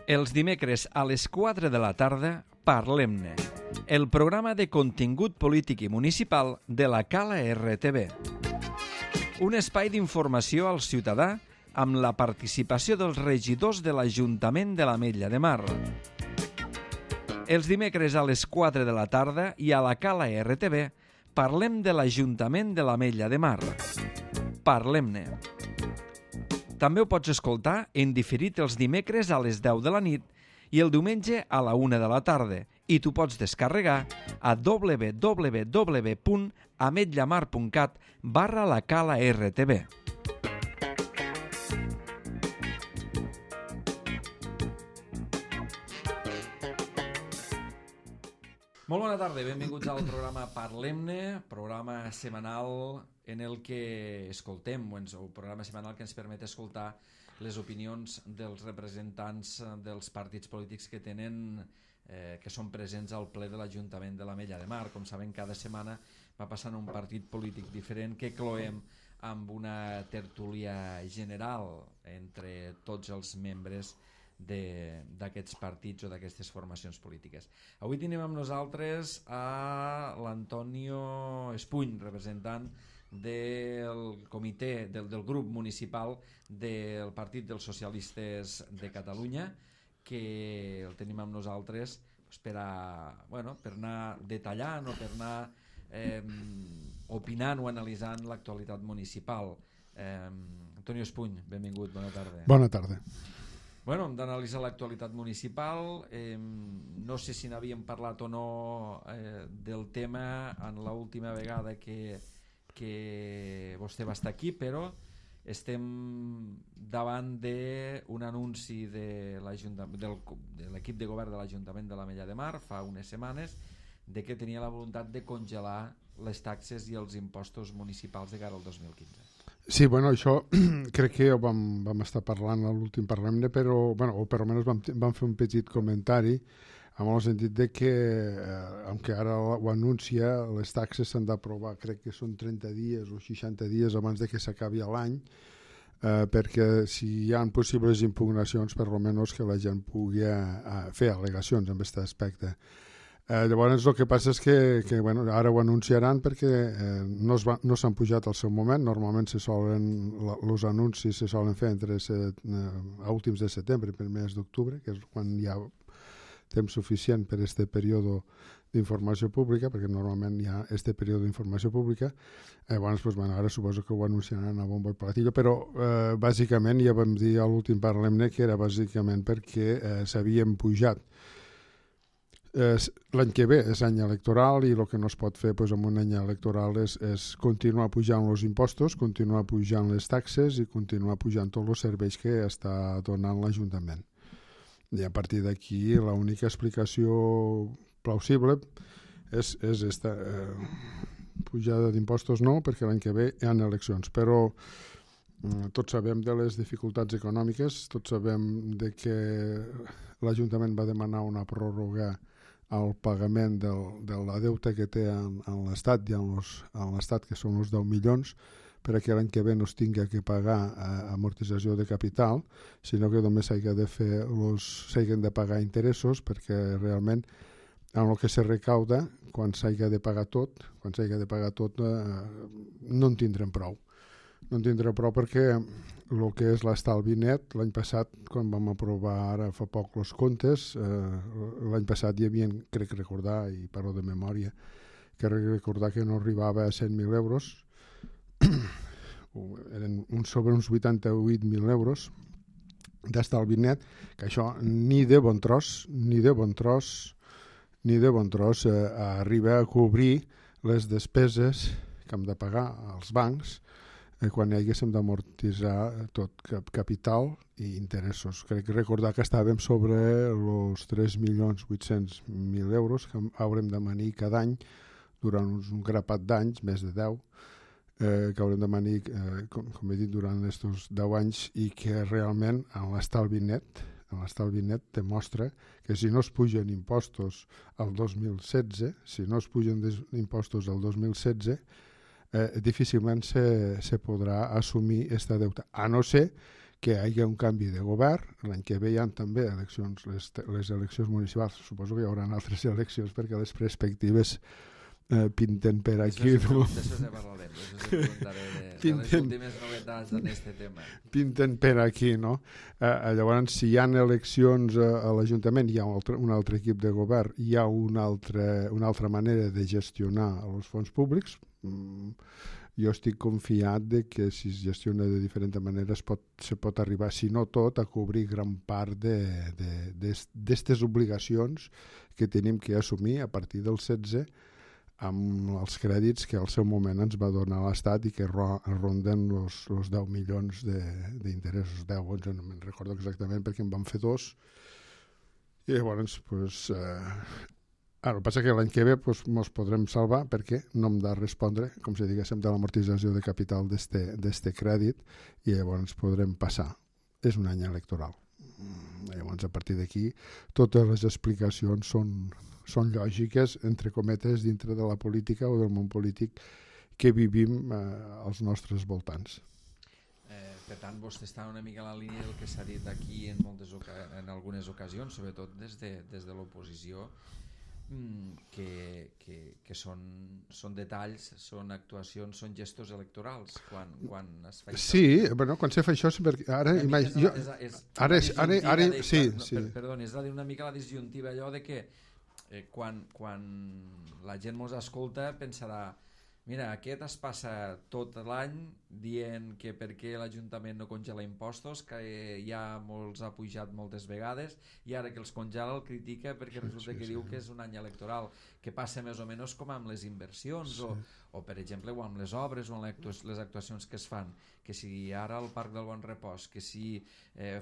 Els dimecres a les 4 de la tarda, Parlem-ne, el programa de contingut polític i municipal de la Cala RTV. Un espai d'informació al ciutadà amb la participació dels regidors de l'Ajuntament de l'Ametlla de Mar. Els dimecres a les 4 de la tarda i a la Cala RTV parlem de l'Ajuntament de l'Ametlla de Mar. Parlem-ne. També ho pots escoltar en diferit els dimecres a les 10 de la nit i el diumenge a la 1 de la tarda i t'ho pots descarregar a www.ametllamar.cat/la Cala RTV. Molt bona tarda, benvinguts al programa Parlem-ne, programa setmanal en el que escoltem, o programa setmanal que ens permet escoltar les opinions dels representants dels partits polítics que tenen, que són presents al ple de l'Ajuntament de l'Ametlla de Mar. Com saben, cada setmana va passant un partit polític diferent que cloem amb una tertúlia general entre tots els membres d'aquests partits o d'aquestes formacions polítiques. Avui tenim amb nosaltres a l'Antonio Espuny, representant del comitè del grup municipal del Partit dels Socialistes de Catalunya, que el tenim amb nosaltres per anar detallant o per anar opinant o analitzant l'actualitat municipal. Antonio Espuny, benvingut, bona tarda. Bona tarda. Bueno, hem d'analitzar l'actualitat municipal. No sé si n'havíem parlat o no del tema en l'última vegada que vostè va estar aquí, però estem davant d'un anunci de l'equip de govern de l'Ajuntament de l'Ametlla de Mar fa unes setmanes de que tenia la voluntat de congelar les taxes i els impostos municipals de cara al 2015. Sí, bueno, això crec que vam estar parlant a l'últim Parlem-ne, però, o per almenys vam fer un petit comentari en el sentit de que, aunque ara ho anuncia, les taxes s'han d'aprovar, crec que són 30 dies o 60 dies abans de que s'acabi l'any, perquè si hi ha possibles impugnacions, per almenys que la gent pugui fer al·legacions en aquest aspecte. Llavors el que passa és que ara ho anunciaran perquè no s'han pujat al seu moment. Normalment els anuncis se solen fer a últims de setembre, primers d'octubre, que és quan hi ha temps suficient per aquest període d'informació pública, perquè normalment hi ha aquest període d'informació pública. Llavors, ara suposo que ho anunciaran a bombo i platillo, però bàsicament ja vam dir a l'últim Parlem-ne que era bàsicament perquè s'havien pujat. L'any que ve és any electoral i el que no es pot fer en un any electoral és continuar pujant els impostos, continuar pujant les taxes i continuar pujant tots els serveis que està donant l'Ajuntament. I a partir d'aquí l'única explicació plausible és aquesta pujada d'impostos no, perquè l'any que ve hi ha eleccions, però tots sabem de les dificultats econòmiques, tots sabem de que l'Ajuntament va demanar una pròrroga al pagament de la deuta que té en l'Estat i en l'Estat, que són els 10 milions, perquè l'any que ve no es tingui que pagar amortització de capital, sinó que només s'hagin de pagar interessos, perquè realment en el que se recauda, quan s'hagi de pagar tot, no en tindrem prou. No en tindrem prou perquè el que és l'estalvi net, l'any passat, quan vam aprovar ara fa poc els comptes, l'any passat hi havia, crec recordar, i parlo de memòria, que no arribava a 100.000 euros, eren sobre uns 88.000 euros d'estalvi net, que això ni de bon tros arriba a cobrir les despeses que hem de pagar als bancs quan haguéssim d'amortitzar tot capital i interessos. Crec recordar que estàvem sobre els 3.800.000 euros que haurem de manir cada any durant un grapat d'anys, més de 10, que haurem de manir, com he dit, durant aquests 10 anys i que realment en l'estalvi net demostra que si no es pugen impostos al 2016, difícilment se podrà assumir aquesta deuta, a no ser que hi hagi un canvi de govern. L'any que ve hi ha també eleccions, les eleccions municipals. Suposo que hi haurà altres eleccions perquè les perspectives pinten per aquí. D'això ja parlarem. D'això ja preguntaré de les últimes novetats en aquest tema. Pinten per aquí, no? Llavors, si hi ha eleccions a l'Ajuntament, hi ha un altre equip de govern, hi ha una altra manera de gestionar els fons públics. Jo estic confiat de que si es gestiona de diferent manera se pot arribar, si no tot, a cobrir gran part d'aquestes obligacions que tenim que assumir a partir del 16 amb els crèdits que al seu moment ens va donar l'Estat i que ronden els 10 milions d'interessos, 10, 11, no me'n recordo exactament perquè en van fer 2. I llavors, el que passa és que l'any que ve ens podrem salvar perquè no hem de respondre, com si diguéssim, de l'amortització de capital d'este crèdit i llavors podrem passar. És un any electoral. Llavors, a partir d'aquí, totes les explicacions són lògiques, entre cometes, dintre de la política o del món polític que vivim als nostres voltants. Per tant, vostè està una mica a la línia del que s'ha dit aquí en algunes ocasions, sobretot des de l'oposició, que són detalls, són actuacions, són gestos electorals quan es fa això. Sí, bueno, quan se fa això ara perdoni, és una mica la disjuntiva allò de que quan la gent mos escolta pensarà, mira, aquest es passa tot l'any dient que per què l'Ajuntament no congela impostos, que ja molts ha pujat moltes vegades i ara que els congela el critica perquè resulta que diu que és un any electoral, que passa més o menys com amb les inversions o per exemple o amb les obres o amb les actuacions que es fan, que si ara al Parc del Bon Repòs, que si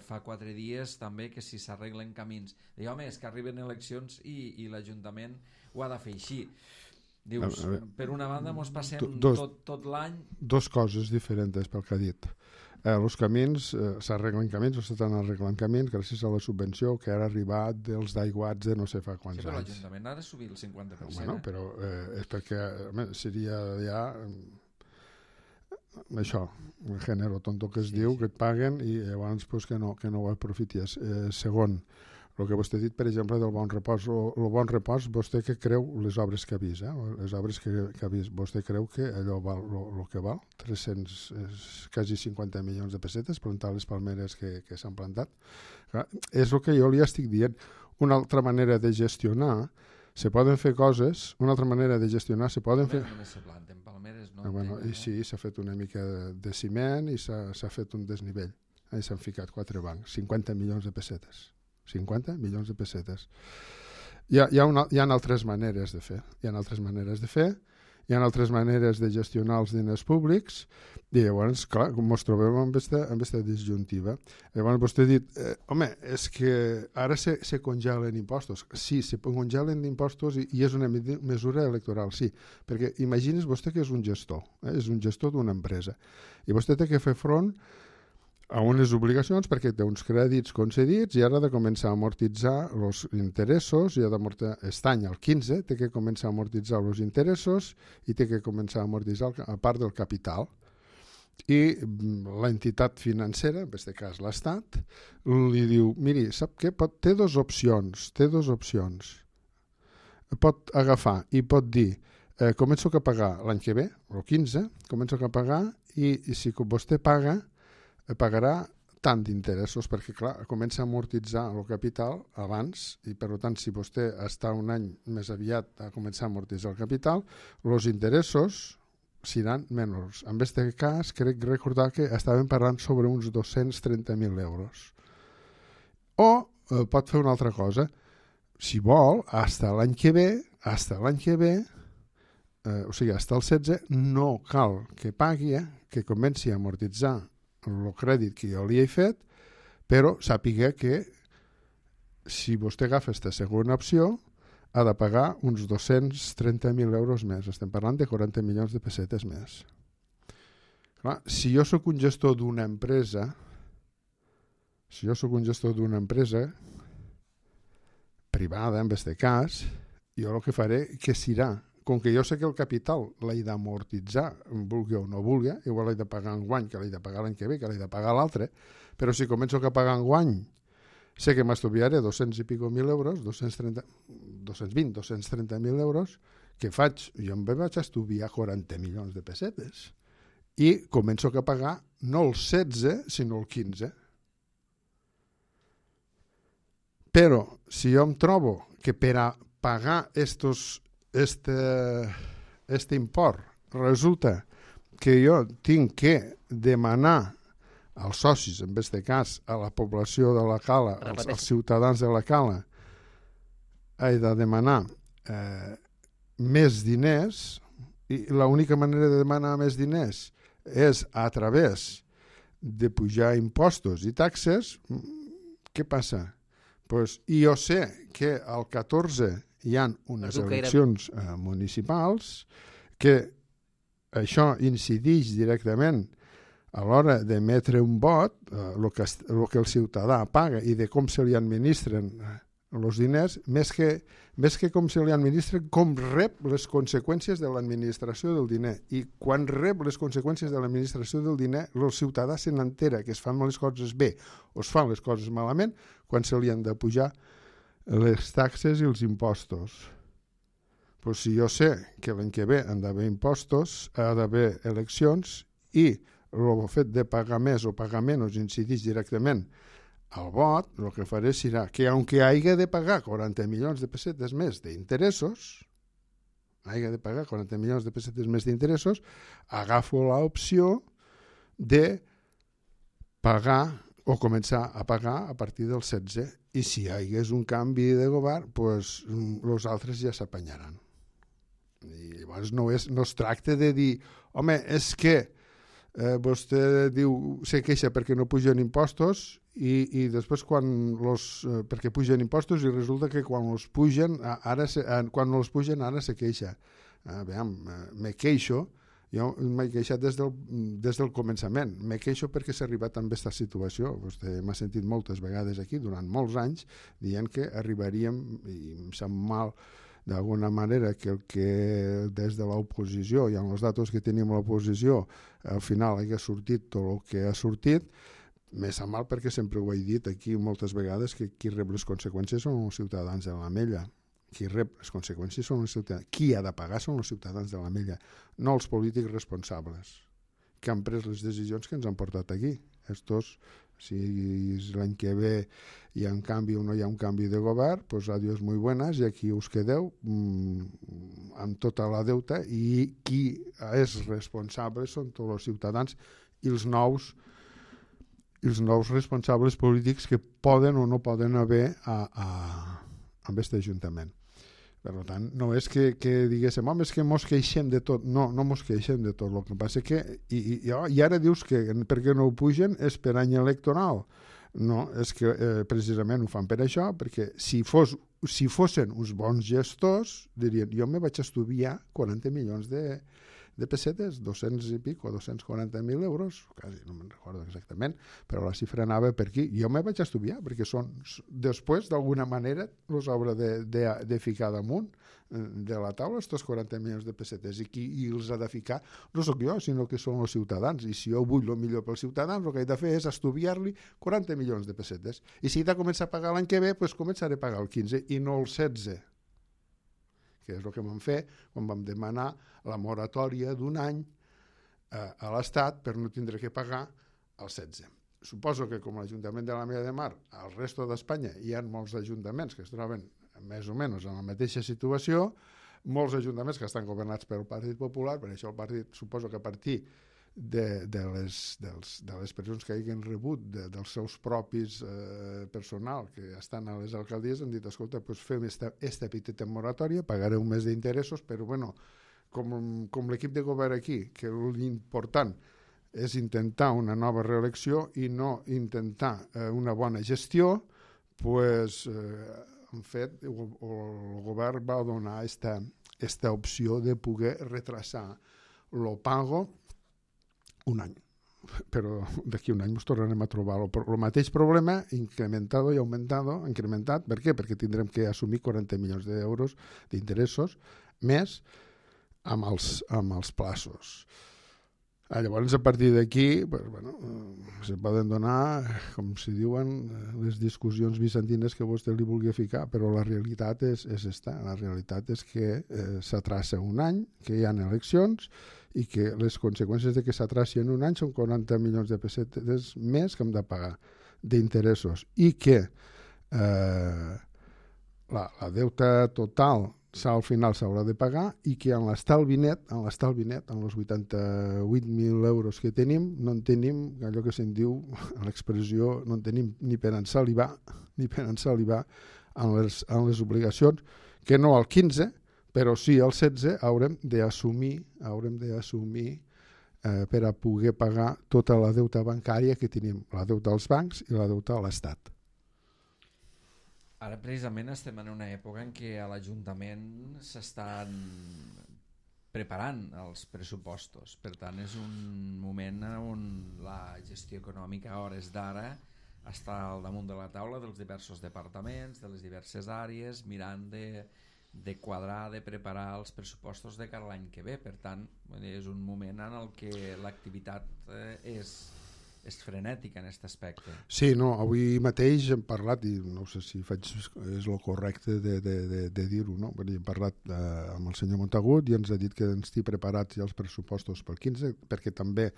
fa 4 dies també que si s'arreglen camins, home, és que arriben eleccions i l'Ajuntament ho ha de fer així. Dius, per una banda mos passem tot l'any... Dos coses diferents pel que ha dit. Els camins, s'arreglen camins, o s'estan arreglant camins gràcies a la subvenció que ara ha arribat dels d'aiguats de no sé fa quants anys. Però l'Ajuntament ha de subir el 50%. Bueno, però és perquè seria ja això, el gènere tonto que es diu, que et paguen i llavors que no ho aprofities. Segon, el que vostè ha dit, per exemple, del Bon Repòs. El Bon Repòs, vostè que creu les obres que ha vist, les obres que ha vist, vostè creu que allò val el que val? quasi 50 milions de pessetes, plantar les palmeres que s'han plantat. Clar, és el que jo li estic dient. Una altra manera de gestionar, se poden fer coses, una altra manera de gestionar, se poden fer... Només se planten palmeres, no? I sí, s'ha fet una mica de ciment i s'ha fet un desnivell. I s'han ficat 4 bancs, 50 milions de pessetes. 50 milions de pessetes. Hi ha altres maneres de fer. Hi ha altres maneres de gestionar els diners públics i llavors, clar, com ens trobem amb aquesta disjuntiva. Llavors vostè ha dit, home, és que ara se congelen impostos. Sí, se congelen impostos i és una mesura electoral, sí, perquè imagini's vostè que és un gestor, és un gestor d'una empresa i vostè té que fer front a unes obligacions perquè té uns crèdits concedits i ara ha de començar a amortitzar els interessos i aquest any, el 15, té que començar a amortitzar els interessos i té que començar a amortitzar a part del capital. I l'entitat financera, en aquest cas l'Estat, li diu, miri, sap què? Té dues opcions. Pot agafar i pot dir, començo a pagar l'any que ve, el 15, començo a pagar i si vostè pagarà tant d'interessos, perquè clar, comença a amortitzar el capital abans i per tant si vostè està un any més aviat a començar a amortitzar el capital, els interessos seran menors. En aquest cas crec recordar que estàvem parlant sobre uns 230.000 euros. O pot fer una altra cosa, si vol, fins l'any que ve, o sigui, fins el 16, no cal que pagui, que comenci a amortitzar el crèdit que jo li he fet, però sàpiga que si vostè agafa aquesta segona opció ha de pagar uns 230.000 euros més. Estem parlant de 40 milions de pessetes més. Clar, si jo sóc un gestor d'una empresa privada, en aquest cas, jo el que faré que serà com que jo sé que el capital l'he d'amortitzar, vulgui o no vulgui, igual l'he de pagar en guany, que l'he de pagar l'any que ve, que l'he de pagar l'altre, però si començo a pagar en guany, sé que m'estuviaré 200 i pico mil euros, 230.000 euros, què faig? Jo em vaig estudiar 40 milions de pessetes i començo a pagar no el 16, sinó el 15. Però si jo em trobo que per a pagar este import resulta que jo tinc que demanar als socis, en aquest cas a la població de la Cala, als ciutadans de la Cala, he de demanar més diners, i l'única manera de demanar més diners és a través de pujar impostos i taxes. Què passa? Pues, i jo sé que al 14 hi ha unes eleccions municipals, que això incideix directament a l'hora d'emetre un vot, el que el ciutadà paga i de com se li administren els diners, més que com se li administren, com rep les conseqüències de l'administració del diner. I quan rep les conseqüències de l'administració del diner, el ciutadà se n'entera que es fan les coses bé o es fan les coses malament quan se li han de pujar les taxes i els impostos. Pues si jo sé que l'any que ve han d'haver impostos, ha d'haver eleccions, i el fet de pagar més o pagar menys incideix directament al vot, el que faré serà que, aunque hagi de pagar 40 milions de pessetes més d'interessos, agafo l'opció de pagar o començar a pagar a partir del 16. I si hi hagués un canvi de govern, pues, els altres ja s'apanyaran. I llavors no es tracta de dir, home, és que vostè diu, se queixa perquè no pugen impostos, i després perquè pugen impostos, i resulta que quan els pugen ara se queixa. Me queixo, jo m'he queixat des del començament, me queixo perquè s'ha arribat a aquesta situació. Vostè m'ha sentit moltes vegades aquí durant molts anys dient que arribaríem, i em sap mal d'alguna manera, que el que des de l'oposició i amb els datos que tenim a l'oposició al final hagi sortit tot el que ha sortit, me sap mal perquè sempre ho he dit aquí moltes vegades, que qui rep les conseqüències són els ciutadans de l'Ametlla. Qui rep les conseqüències són els ciutadans. Qui ha de pagar són els ciutadans de l'Ametlla, no els polítics responsables que han pres les decisions que ens han portat aquí. Estos, si l'any que ve hi ha un canvi o no hi ha un canvi de govern, pues adiós muy buenas, i aquí us quedeu amb tota la deuta, i qui és responsable són tots els ciutadans i els nous responsables polítics que poden o no poden haver amb aquest ajuntament. Per tant, no és que diguéssim, home, és que mos queixem de tot. No mos queixem de tot. El que passa que, i ara dius que per què no ho pugen és per any electoral. No, és que precisament ho fan per això, perquè si fossin uns bons gestors, dirien, jo me vaig estudiar 40 milions de pessetes, 200 i pico, 240.000 euros, quasi no me'n recordo exactament, però la xifra anava per aquí. Jo me vaig estudiar, perquè després, d'alguna manera, els haurà de ficar damunt de la taula, estos 40 milions de pessetes, i qui els ha de ficar no sóc jo, sinó que són els ciutadans, i si jo vull el millor pels ciutadans, el que he de fer és estudiar-li 40 milions de pessetes, i si he de començar a pagar l'any que ve, doncs començaré a pagar el 15 i no el 16, que és el que vam fer quan vam demanar la moratòria d'un any a l'Estat per no tindre que pagar el 16. Suposo que com l'Ajuntament de l'Ametlla de Mar, al resto d'Espanya hi ha molts ajuntaments que es troben més o menys en la mateixa situació, molts ajuntaments que estan governats pel Partit Popular, per això el partit suposo que a partir de les persones que hagin rebut dels seus propis personal que estan a les alcaldies han dit, escolta, doncs fem esta petita moratòria, pagareu un mes d'interessos, però bueno, com l'equip de govern aquí, que l'important és intentar una nova reelecció i no intentar una bona gestió, doncs en fet el govern va donar esta opció de poder retrasar el pago un any, però d'aquí un any ens tornarem a trobar el mateix problema incrementat i augmentat. Per què? Perquè tindrem que assumir 40 milions d'euros d'interessos més amb els plaços. Llavors, a partir d'aquí, pues, bueno, se poden donar, com si diuen, les discussions bizantines que vostè li vulgui ficar, però la realitat és esta. La realitat és que s'atraça un any, que hi ha eleccions, i que les conseqüències de que s'atraci en un any són 40 milions de pessetes més que hem de pagar d'interessos, i que la deuta total al final s'haurà de pagar, i que en l'estalvi net, en els 88.000 euros que tenim, no en tenim, allò que se'n diu, l'expressió, no en tenim ni per ensalivar en les obligacions, que no al 15, però sí al 16 haurem d'assumir per a poder pagar tota la deuta bancària que tenim, la deuta als bancs i la deuta a l'Estat. Ara precisament estem en una època en què a l'Ajuntament s'estan preparant els pressupostos. Per tant, és un moment on la gestió econòmica a hores d'ara està al damunt de la taula dels diversos departaments, de les diverses àrees, mirant de quadrar, de preparar els pressupostos de cara a l'any que ve. Per tant, és un moment en el que l'activitat és frenètica en aquest aspecte. Sí, no, avui mateix hem parlat, i no sé si és el correcte de dir-ho, no? Hem parlat amb el senyor Montagut i ens ha dit que ens estic preparats ja els pressupostos pel 15, perquè també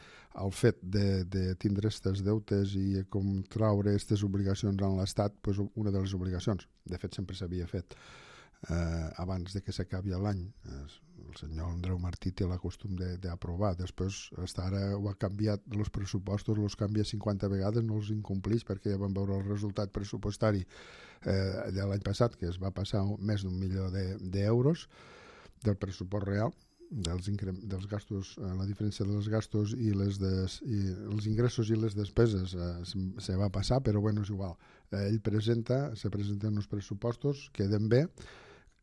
el fet de tindre aquestes deutes i com traure aquestes obligacions en l'Estat, doncs una de les obligacions, de fet sempre s'havia fet abans de que s'acabi l'any. El senyor Andreu Martí té la costum d'aprovar, després hasta ara ho ha canviat, els pressupostos els canvia 50 vegades, no els incompleix, perquè ja vam veure el resultat pressupostari de l'any passat, que es va passar més d'1 milió d'euros del pressupost real, dels gastos, la diferència dels gastos i els ingressos i les despeses se va passar, però bueno, és igual. Ell se presenten uns pressupostos, queden bé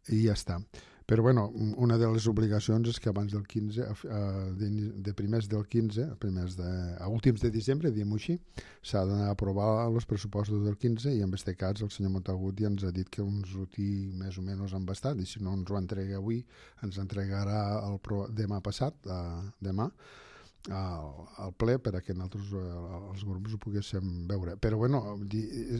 i ja està. Però bueno, una de les obligacions és que abans del 15, de primers del 15, a últims de desembre, diguem-ho així, s'ha d'anar a aprovar els pressupostos del 15, i en aquest cas el senyor Montagut ja ens ha dit que ens ho té més o menys embastat, i si no ens ho entrega avui, ens entregarà demà passat, demà, al ple, per a que nosaltres els grups ho poguéssim veure. Però bueno,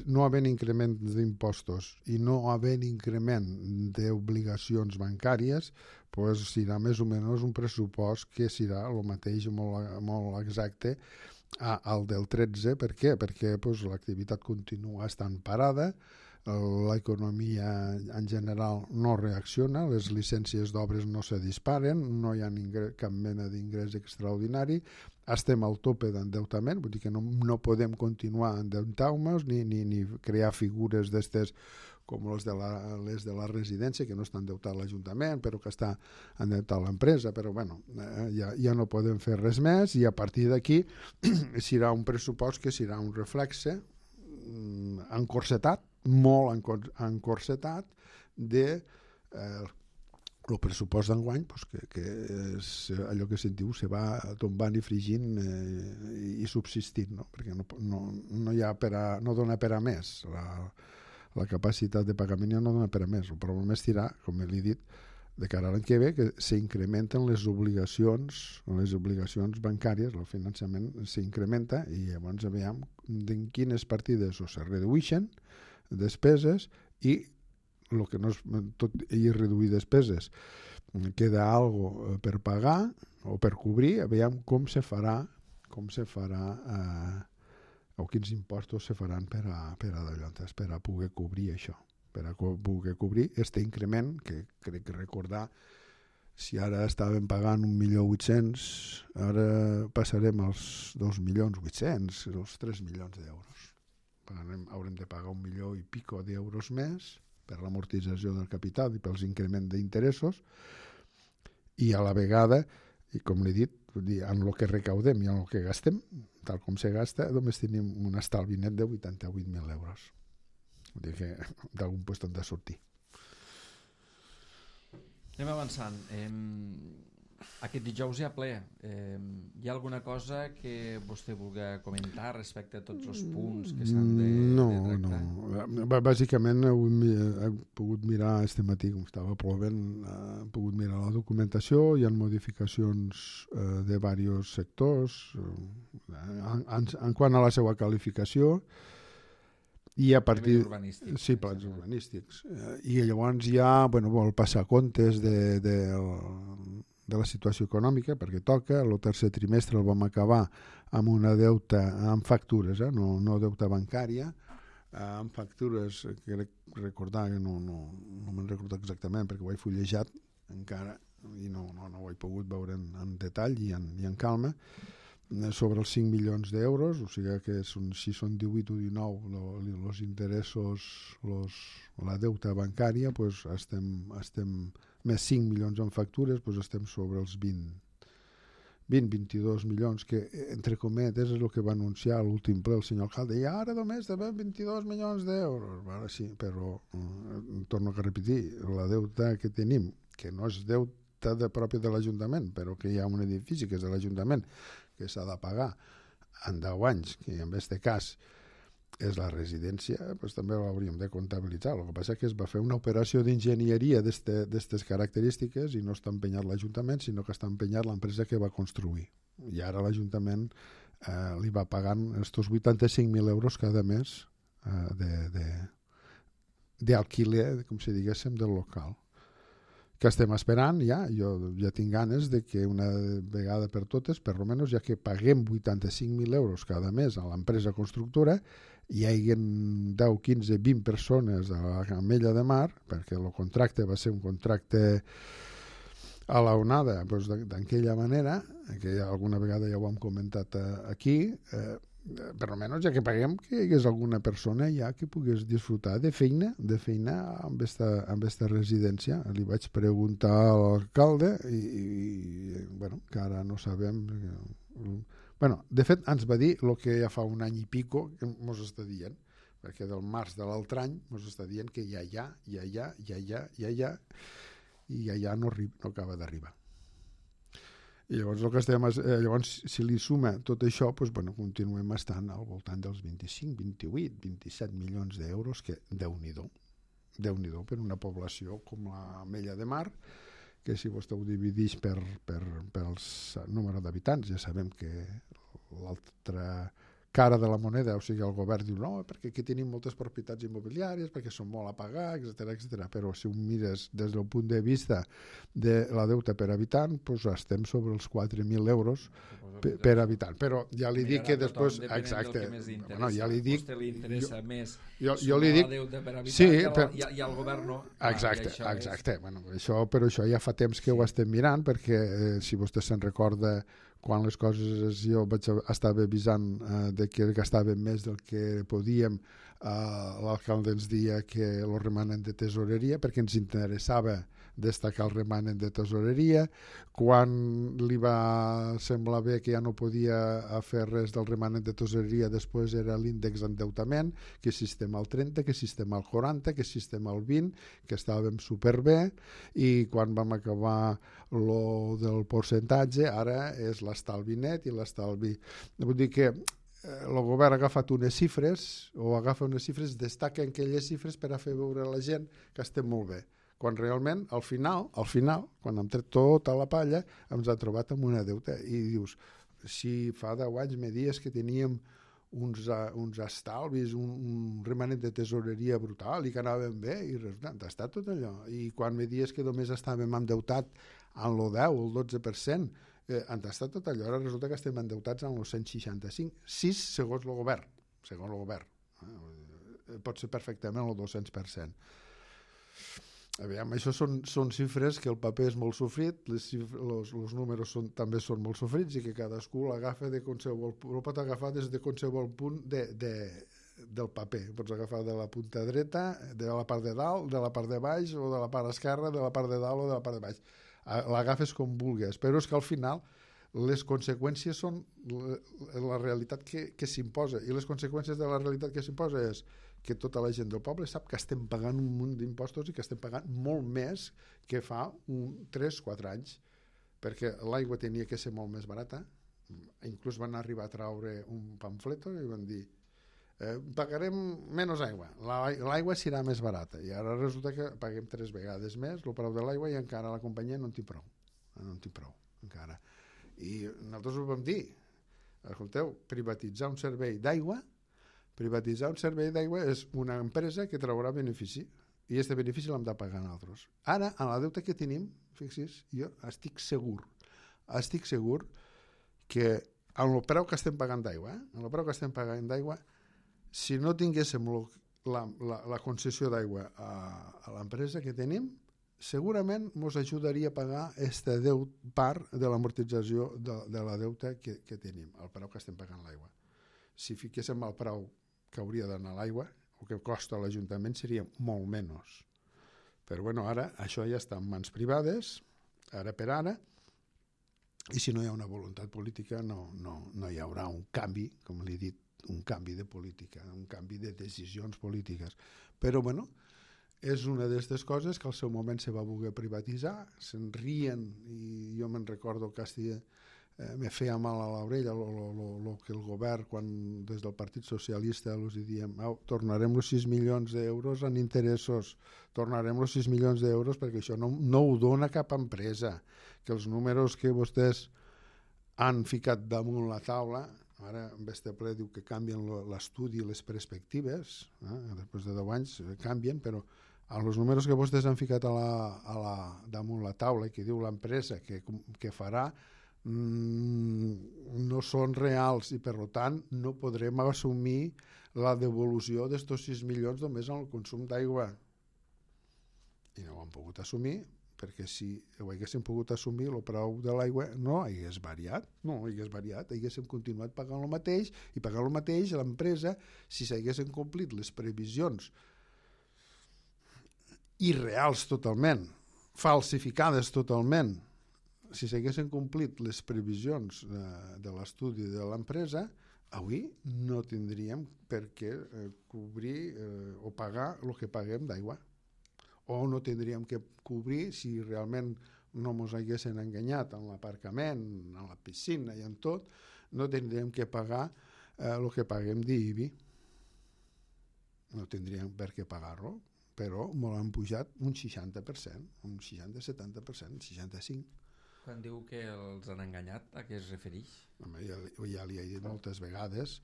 no havent increment d'impostos i no havent increment d'obligacions bancàries, pues serà més o menys un pressupost que serà el mateix, molt exacte al del 13. Per què? Perquè pues, l'activitat continua estant parada, l'economia en general no reacciona, les llicències d'obres no se disparen, no hi ha cap mena d'ingrés extraordinari, estem al tope d'endeutament, vull dir que no podem continuar endeutant-nos ni crear figures d'estes com les de la residència, que no està endeutat l'Ajuntament, però que està endeutat l'empresa, però bueno, ja no podem fer res més, i a partir d'aquí serà un pressupost que serà un reflexe encorsetat, molt encorsetat de el pressupost d'enguany, pues, que és allò que sentiu, se va tombant i fregint i subsistint, no? Perquè no hi ha no dona per a més, la capacitat de pagament ja no dona per a més. El problema és tirar, com l'he dit, de cara a l'any que ve, que s'incrementen les obligacions bancàries, el finançament s'incrementa, i llavors veiem en quines partides o se redueixen despeses, i el que no és tot i reduir despeses, queda algo per pagar o per cobrir, veiem com se farà o quins impostos se faran per a poder cobrir això, per a poder cobrir aquest increment, que crec que recordar, si ara estàvem pagant 1.800.000, ara passarem als 2.800.000, els 3 milions d'euros. Haurem de pagar 1 milió i pico d'euros més per l'amortització del capital i pels increments d'interessos, i a la vegada, i com l'he dit, en el que recaudem i en el que gastem, tal com se gasta, només tenim un estalvi net de 88.000 euros. Vull dir que d'algun lloc hem de sortir. Anem avançant. Aquest dijous hi ha ple. Hi ha alguna cosa que vostè vulgui comentar respecte a tots els punts que s'han de tractar? No. Bàsicament he pogut mirar este matí, com estava plovent, he pogut mirar la documentació, hi ha modificacions de diversos sectors en quant a la seva qualificació, i a partir... urbanístics. Sí, plans urbanístics. I llavors hi ha el passacomptes de la situació econòmica, perquè toca. El tercer trimestre el vam acabar amb una deuta amb factures, no deuta bancària, amb factures que recordar, que no me'n recordo exactament perquè ho he fullejat encara i no ho he pogut veure en detall i en calma, sobre els 5 milions d'euros, o sigui que si són 18 o 19 els interessos, la deuta bancària, doncs estem més 5 milions en factures, doncs estem sobre els 22 milions, que entre cometes és el que va anunciar a l'últim ple el senyor alcalde, i ara només devem 22 milions d'euros. Bueno, sí, però torno a repetir, la deuta que tenim, que no és deuta pròpia de l'Ajuntament, però que hi ha un edifici que és de l'Ajuntament, que s'ha de pagar en 10 anys, que en aquest cas és la residència, doncs també l'hauríem de comptabilitzar. El que passa és que es va fer una operació d'enginyeria d'aquestes característiques i no està empenyat l'Ajuntament, sinó que està empenyat l'empresa que va construir. I ara l'Ajuntament li va pagant estos 85.000 euros cada mes d'alquiler, com si diguéssim, del local. Que estem esperant ja, jo ja tinc ganes de que una vegada per totes, per almenys ja que paguem 85.000 euros cada mes a l'empresa constructora, hi hagi 10, 15, 20 persones a la Camella de Mar, perquè el contracte va ser un contracte a la onada, doncs d'aquella manera, que alguna vegada ja ho hem comentat aquí, per almenys ja que paguem, que hi hagués alguna persona ja que pogués disfrutar de feina amb esta residència. Li vaig preguntar a l'alcalde i que ara no sabem. De fet, ens va dir el que ja fa un any i pico que mos està dient, perquè del març de l'altre any mos està dient que ja no acaba d'arribar. I llavors, si li suma tot això, continuem estant al voltant dels 25, 28, 27 milions d'euros, que Déu-n'hi-do per una població com la Mella de Mar, que si vostè ho divideix per número d'habitants, ja sabem que l'altra cara de la moneda, o sigui, el govern diu no, perquè aquí tenim moltes propietats immobiliàries, perquè són molt a pagar, etc. Però si ho mires des del punt de vista de la deuta per habitant, doncs estem sobre els 4.000 euros per habitant. Però ja li dic que després... Exacte. Ja li dic... A vostè li interessa més sumar la deuta per habitant i al govern no. Exacte. Però això ja fa temps que ho estem mirant, perquè si vostè se'n recorda, quan les coses jo estava avisant de que gastàvem més del que podíem, l'alcalde ens deia que el remanent de tesoreria, perquè ens interessava destacar el remanent de tesoreria. Quan li va semblar bé que ja no podia fer res del remanent de tesoreria, després era l'índex d'endeutament, que si estem al 30, que si estem al 40, que si estem al 20, que estàvem superbé, i quan vam acabar lo del percentatge, ara és l'estalvi net i l'estalvi... Vull dir que el govern ha agafat unes xifres, destaca aquelles xifres per a fer veure a la gent que estem molt bé, quan realment al final, quan hem tret tota la palla, ens ha trobat amb una deuta. I dius, si fa 10 anys me dies que teníem uns estalvis, un remanent de tesoreria brutal i que anàvem bé, i resulta, està tot allò. I quan me dies que només estàvem endeutat en el 10 o el 12%, han estat tot allò. Ara resulta que estem endeutats en el 165, 6 segons el govern. Pot ser perfectament el 200%. Aviam, això són xifres que el paper és molt sofrit, els números també són molt sofrits i que cadascú l'agafa de qualsevol, el pot agafar des de qualsevol punt del paper. Pots agafar de la punta dreta, de la part de dalt, de la part de baix, o de la part esquerra, de la part de dalt o de la part de baix. L'agafes com vulguis, però és que al final les conseqüències són la realitat que s'imposa, i les conseqüències de la realitat que s'imposa és que tota la gent del poble sap que estem pagant un munt d'impostos i que estem pagant molt més que fa 3-4 anys. perquè l'aigua tenia que ser molt més barata. Inclús van arribar a traure un pamfleto i van dir pagarem menys aigua, l'aigua serà més barata, i ara resulta que paguem 3 vegades més el preu de l'aigua i encara la companyia no en té prou, encara. I nosaltres ho vam dir, escolteu, privatitzar un servei d'aigua és una empresa que traurà benefici, i aquest benefici l'hem de pagar nosaltres. Ara, a la deuta que tenim, fixi's, jo estic segur que amb el preu que estem pagant d'aigua, si no tinguéssim la concessió d'aigua a l'empresa que tenim, segurament ens ajudaria a pagar aquesta part de l'amortització de la deuta que tenim, el preu que estem pagant l'aigua. Si fiquéssim el preu que hauria d'anar l'aigua, el que costa a l'Ajuntament seria molt menys. Però bueno, ara això ja està en mans privades, ara per ara, i si no hi ha una voluntat política no hi haurà un canvi, com li he dit, un canvi de política, un canvi de decisions polítiques. Però bueno, és una d'aquestes coses que al seu moment se va voler privatitzar, se'n rien, i jo me'n recordo que me feia mal a l'orella el que el govern, quan des del Partit Socialista els diem tornarem els 6 milions d'euros en interessos, tornarem els 6 milions d'euros perquè això no ho dona cap empresa, que els números que vostès han ficat damunt la taula, ara en este ple diu que canvien l'estudi i les perspectives, després de 10 anys canvien, però els números que vostès han ficat damunt la taula i que diu l'empresa que farà no són reals, i per tant no podrem assumir la devolució d'estos 6 milions només en el consum d'aigua. I no ho han pogut assumir, perquè si ho haguéssim pogut assumir, el preu de l'aigua no hagués variat, haguéssim continuat pagant el mateix, i pagant el mateix a l'empresa si s'haguessin complit les previsions irreals totalment, falsificades totalment. Si s'haguessin complit les previsions de l'estudi de l'empresa, avui no tindríem per què cobrir o pagar el que paguem d'aigua. O no tindríem que cobrir, si realment no ens haguessin enganyat en l'aparcament, en la piscina i en tot, no tindríem que pagar el que paguem d'IBI. No tindríem per què pagar-lo, però m'ho han pujat un 60%, un 60-70%, 65%. Quan diu que els han enganyat, a què es refereix? Ja li he dit moltes vegades.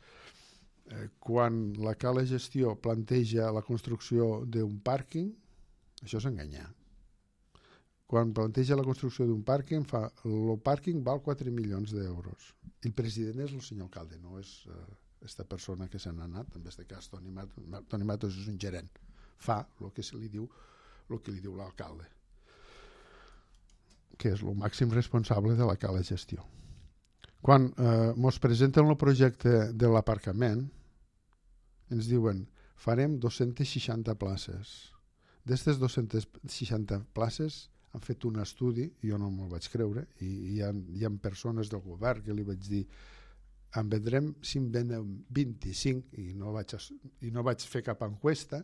Quan la Cala Gestió planteja la construcció d'un pàrquing, això és enganyar. Quan planteja la construcció d'un pàrquing, el pàrquing val 4 milions d'euros. El president és el senyor alcalde, no és aquesta persona que se n'ha anat, en aquest cas Toni Matos és un gerent. Fa el que li diu l'alcalde, que és el màxim responsable de la Cala Gestió. Quan ens presenten el projecte de l'aparcament, ens diuen farem 260 places. D'aquestes 260 places han fet un estudi, jo no me'l vaig creure, i hi ha persones del govern que li vaig dir en vendrem si en venen 25, i no vaig fer cap enquesta,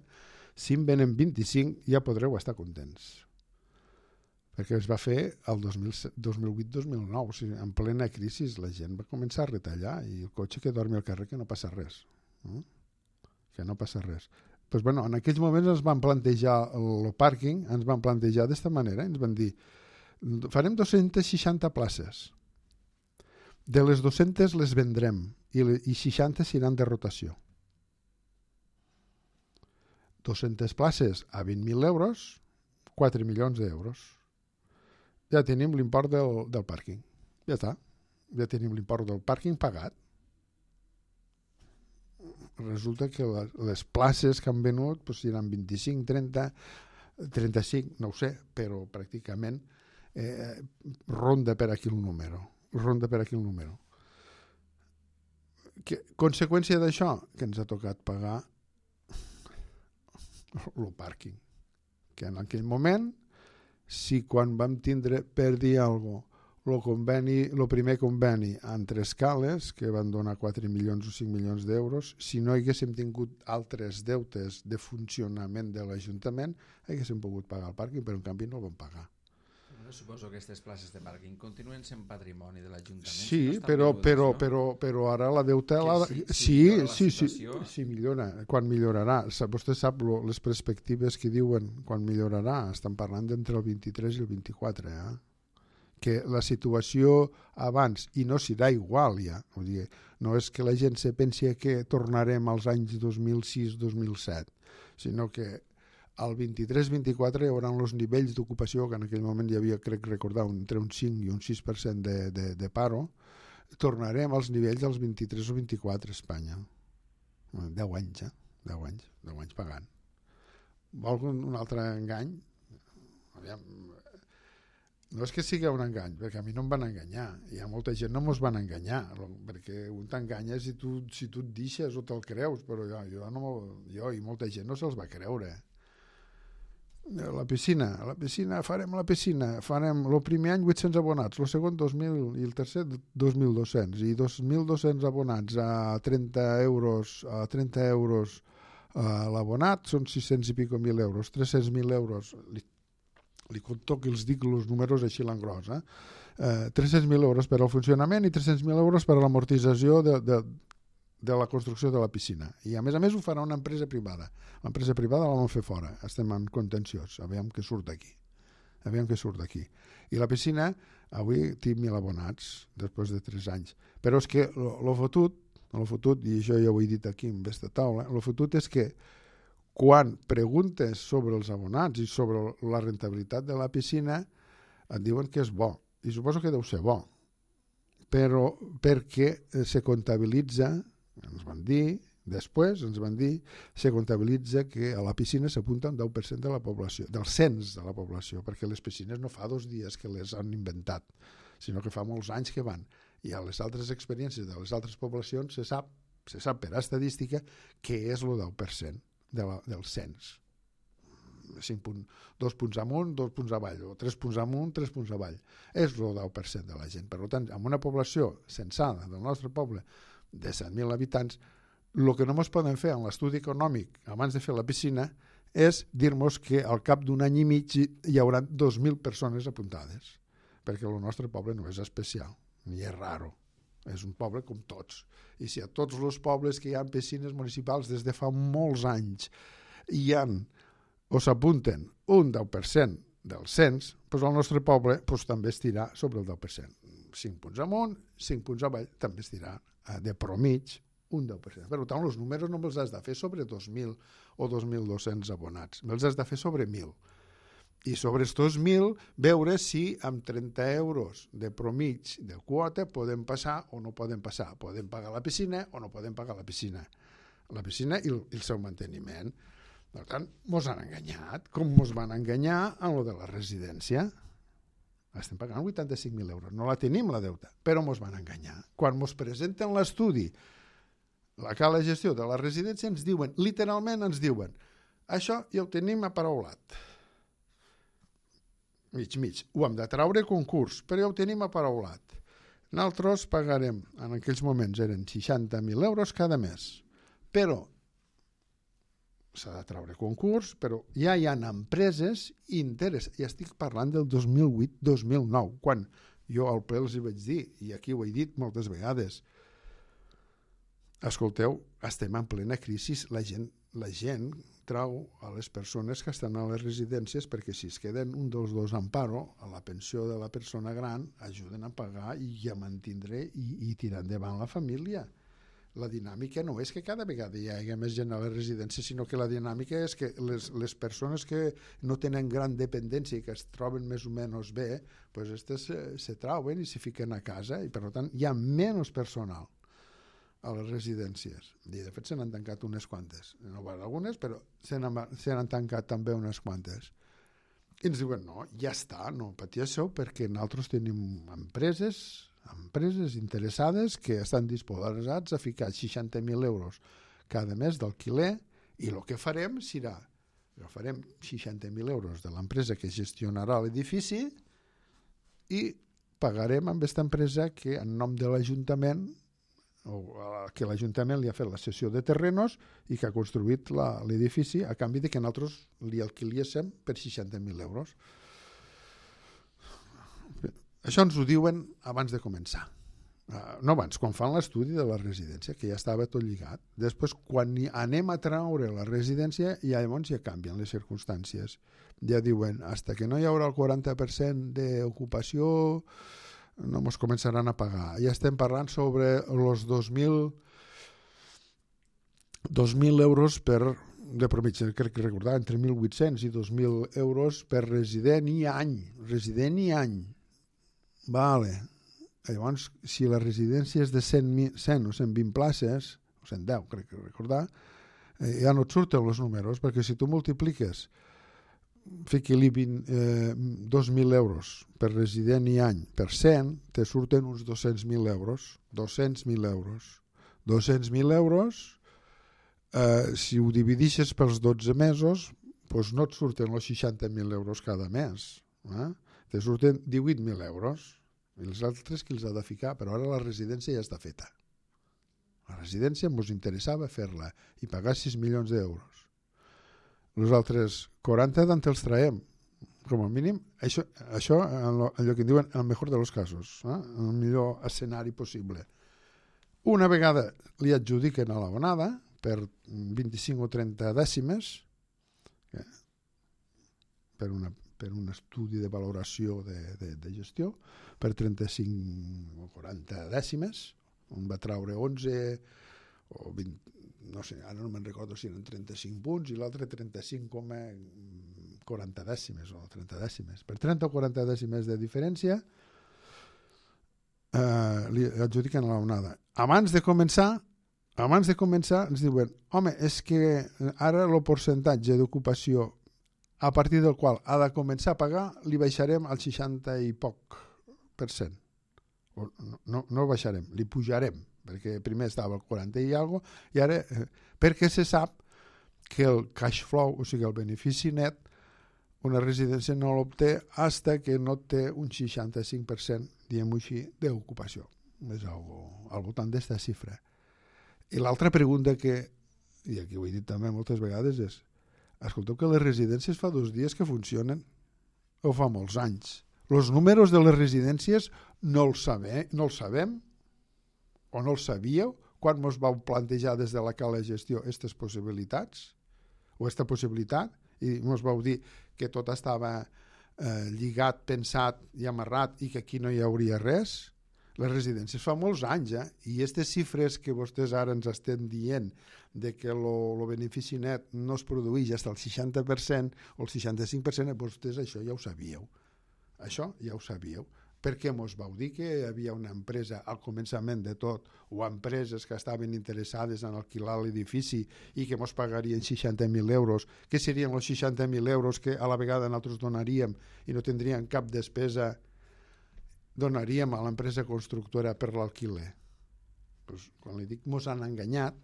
si en venen 25 ja podreu estar contents. Perquè es va fer el 2008-2009, o sigui, en plena crisi la gent va començar a retallar, i el cotxe que dormi al carrer que no passa res. Que no passa res. Pues bueno, en aquells moments ens van plantejar el pàrquing, ens van plantejar d'esta manera, ens van dir farem 260 places, de les 200 les vendrem i 60 seran de rotació. 200 places a 20.000 euros, 4 milions d'euros. Ja tenim l'import del pàrquing. Ja està. Ja tenim l'import del pàrquing pagat. Resulta que les places que han venut seran 25, 30, 35, no ho sé, però pràcticament ronda per aquí el número. Conseqüència d'això, que ens ha tocat pagar el pàrquing. Que en aquell moment, si quan vam tindre, per dir alguna cosa, el primer conveni entre escales, que van donar 4 milions o 5 milions d'euros, si no haguéssim tingut altres deutes de funcionament de l'Ajuntament, haguéssim pogut pagar el pàrquing, però en canvi no el vam pagar. Però suposo que aquestes places de pàrquing continuen sent patrimoni de l'Ajuntament. Sí, si no però ara la deuta... Sí, millora. Quan millorarà? Vostè sap les perspectives que diuen quan millorarà. Estan parlant d'entre el 23 i el 24, que la situació abans, i no serà igual ja, vull dir, no és que la gent se pensi que tornarem als anys 2006-2007, sinó que al 23-24 hi haurà els nivells d'ocupació, que en aquell moment hi havia, crec recordar, entre un 5 i un 6% de paro, tornarem als nivells dels 23 o 24 a Espanya. 10 anys, 10 anys pagant. Vol un altre engany? Aviam, no és que sigui un engany, perquè a mi no em van enganyar. Hi ha molta gent no mos van enganyar, perquè un t'enganya si tu et deixes o te'l creus, però jo i molta gent no se'ls va creure. La piscina, farem el primer any 800 abonats, el segon 2.000 i el tercer 2.200, i 2.200 abonats a 30 euros l'abonat són 600 i pico mil euros, 300.000 euros, li conto que els dic els números així l'engros, 300.000 euros per al funcionament i 300.000 euros per a l'amortització de la construcció de la piscina. I a més ho farà una empresa privada. L'empresa privada la vam fer fora. Estem en contenciós. Aviam què surt d'aquí. I la piscina, avui té 1.000 abonats, després de 3 anys. Però és que el fotut, i això ja ho he dit aquí en aquesta taula, el fotut és que quan preguntes sobre els abonats i sobre la rentabilitat de la piscina, et diuen que és bo. I suposo que deu ser bo. Però perquè se comptabilitza, se comptabilitza que a la piscina s'apunta un 10% de la població, del cens de la població, perquè les piscines no fa 2 dies que les han inventat, sinó que fa molts anys que van. I a les altres experiències de les altres poblacions se sap per estadística que és el 10% del cens. 2 punts amunt, 2 punts avall, o 3 punts amunt, 3 punts avall. És el 10% de la gent. Per tant, amb una població censada del nostre poble de 100.000 habitants, el que no ens poden fer en l'estudi econòmic abans de fer la piscina és dir-nos que al cap d'un any i mig hi haurà 2.000 persones apuntades, perquè el nostre poble no és especial, ni és raro. És un poble com tots. I si a tots els pobles que hi ha piscines municipals des de fa molts anys hi ha o s'apunten un 10% del cens, doncs el nostre poble també estirà sobre el 10%. 5 punts amunt, 5 punts avall, també estirà de promig un 10%. Per tant, els números no els has de fer sobre 2.000 o 2.200 abonats, els has de fer sobre 1.000. I sobre aquests 1.000 veure si amb 30 euros de promig de quota podem passar o no podem passar. Podem pagar la piscina o no podem pagar la piscina. La piscina i el seu manteniment. Per tant, mos han enganyat, com mos van enganyar en lo de la residència. Estem pagant 85.000 euros. No la tenim, la deuta, però mos van enganyar. Quan mos presenten l'estudi, la cala de gestió de la residència, ens diuen, literalment ens diuen, això ja ho tenim aparaulat. Mig. Ho hem de traure concurs, però ja ho tenim aparaulat. Nosaltres pagarem, en aquells moments eren 60.000 euros cada mes. Però s'ha de traure concurs, però ja hi ha empreses interessades. Ja estic parlant del 2008-2009, quan jo al ple els hi vaig dir, i aquí ho he dit moltes vegades, escolteu, estem en plena crisi, la gent trau a les persones que estan a les residències perquè si es queden un dels dos en paro, a la pensió de la persona gran, ajuden a pagar i a mantindre i tirar endavant la família. La dinàmica no és que cada vegada hi hagi més gent a la residència, sinó que la dinàmica és que les persones que no tenen gran dependència i que es troben més o menys bé, doncs aquestes se trauen i se fiquen a casa i per tant hi ha menys personal a les residències. I de fet se n'han tancat unes quantes. No van algunes, però se n'han tancat també unes quantes. I ens diuen, no, ja està, no patia això perquè nosaltres tenim empreses interessades que estan disposats a ficar 60.000 euros cada mes d'alquiler i el que farem serà agafarem 60.000 euros de l'empresa que gestionarà l'edifici i pagarem amb aquesta empresa que en nom de l'Ajuntament o que l'Ajuntament li ha fet la cessió de terrenos i que ha construït l'edifici a canvi de que nosaltres li alquiliéssim per 60.000 euros. Això ens ho diuen abans de començar. No abans, quan fan l'estudi de la residència, que ja estava tot lligat. Després, quan anem a treure la residència, llavors ja canvien les circumstàncies. Ja diuen, hasta que no hi haurà el 40% d'ocupació, no ens començaran a pagar. Ja estem parlant sobre els 2.000 euros de promitja, crec que recordar, entre 1.800 i 2.000 euros per resident i any. Resident i any. Vale. Llavors, si la residència és de 100 o 120 places, o 110, crec que recordar, ja no et surten els números, perquè si tu multipliques, fiqui-li 2.000 euros per resident i any per 100, te surten uns 200.000 euros. 200.000 euros. 200.000 euros, si ho dividixes pels 12 mesos, doncs no et surten els 60.000 euros cada mes. Te surten 18.000 euros. I els altres qui els ha de ficar, però ara la residència ja està feta. La residència ens interessava fer-la i pagar 6 milions d'euros. Els altres 40 d'on els traiem, com a mínim, això allò que diuen el millor dels casos, el millor escenari possible. Una vegada li adjudiquen a l'abonada per 25 o 30 dècimes, per un estudi de valoració de gestió, per 35 o 40 dècimes, on va traure 11 o 20, no sé, ara no me'n recordo si eren 35 punts i l'altre 35,40 dècimes o 30 dècimes. Per 30 o 40 dècimes de diferència li adjudiquen a l'onada. Abans de començar ens diuen, home, és que ara el percentatge d'ocupació a partir del qual ha de començar a pagar li baixarem al 60 i poc %. No baixarem, li pujarem, perquè primer estava al 40 i alguna cosa, i ara, perquè se sap que el cash flow, o sigui, el benefici net, una residència no l'obté fins que no té un 65%, diguem-ho així, d'ocupació. És al voltant d'esta xifra. I l'altra pregunta que, i aquí ho he dit també moltes vegades, és escolteu que les residències fa 2 dies que funcionen o fa molts anys. Els números de les residències no els sabem o no els sabíeu quan ens vau plantejar des de la cala de gestió aquestes possibilitats o aquesta possibilitat i ens vau dir que tot estava lligat, pensat i amarrat i que aquí no hi hauria res. Les residències fa molts anys, i aquestes xifres que vostès ara ens estan dient de que el benefici net no es produeix fins al 60% o el 65%, vostès això ja ho sabíeu. Això ja ho sabíeu. Perquè ens vau dir que hi havia una empresa al començament de tot, o empreses que estaven interessades en alquilar l'edifici i que ens pagarien 60.000 euros, que serien els 60.000 euros que a la vegada nosaltres donaríem i no tindríem cap despesa, donaríem a l'empresa constructora per l'alquiler. Pues, quan li dic mos han enganyat,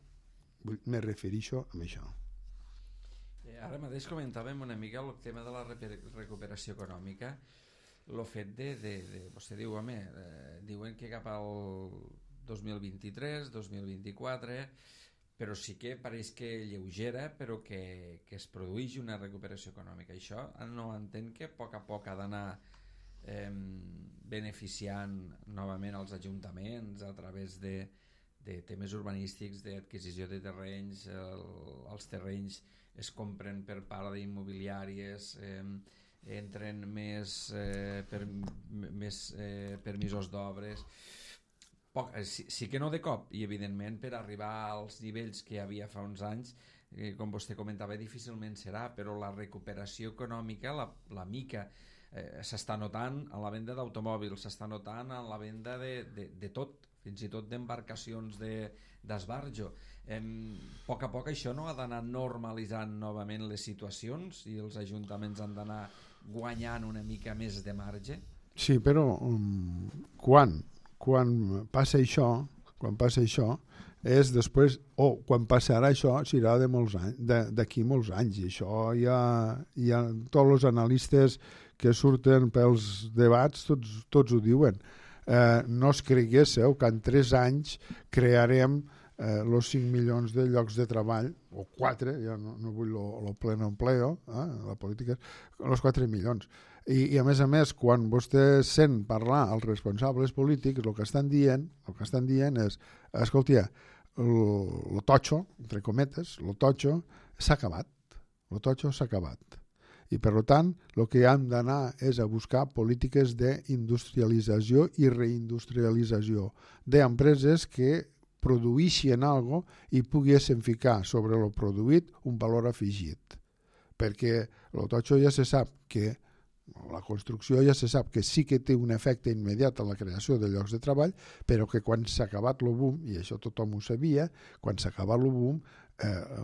me refereixo a això. Ara mateix comentàvem una mica el tema de la recuperació econòmica, el fet vostè diu, home, diuen que cap al 2023, 2024, però sí que pareix que lleugera, però que es produeix una recuperació econòmica. Això no entén que a poc ha d'anar beneficiant novament els ajuntaments a través de temes urbanístics, d'adquisició de terrenys, els terrenys es compren per part d'immobiliàries, entren més permisos d'obres, sí que no de cop, i evidentment per arribar als nivells que hi havia fa uns anys, com vostè comentava, difícilment serà, però la recuperació econòmica, la mica, s'està notant en la venda d'automòbils, s'està notant en la venda de tot, fins i tot d'embarcacions d'esbarjo. A poc això no ha d'anar normalitzant novament les situacions i els ajuntaments han d'anar guanyant una mica més de marge? Sí, però quan passa això és després, quan passarà això serà d'aquí molts anys, i això ja tots els analistes que surten pels debats tots ho diuen. No es creguéssiu que en 3 anys crearem els 5 milions de llocs de treball, o 4, ja no vull el pleno empleo, la política, els 4 milions. I a més, quan vostè sent parlar als responsables polítics, el que estan dient és, escolta, el totxo, entre cometes, el totxo s'ha acabat. El totxo s'ha acabat. I, per tant, el que hem d'anar és a buscar polítiques d'industrialització i reindustrialització d'empreses que produïssin alguna cosa i poguessin ficar sobre el produït un valor afegit. Perquè el totxo ja se sap que la construcció ja se sap que sí que té un efecte immediat en la creació de llocs de treball, però que quan s'ha acabat el boom, i això tothom ho sabia, quan s'ha acabat el boom,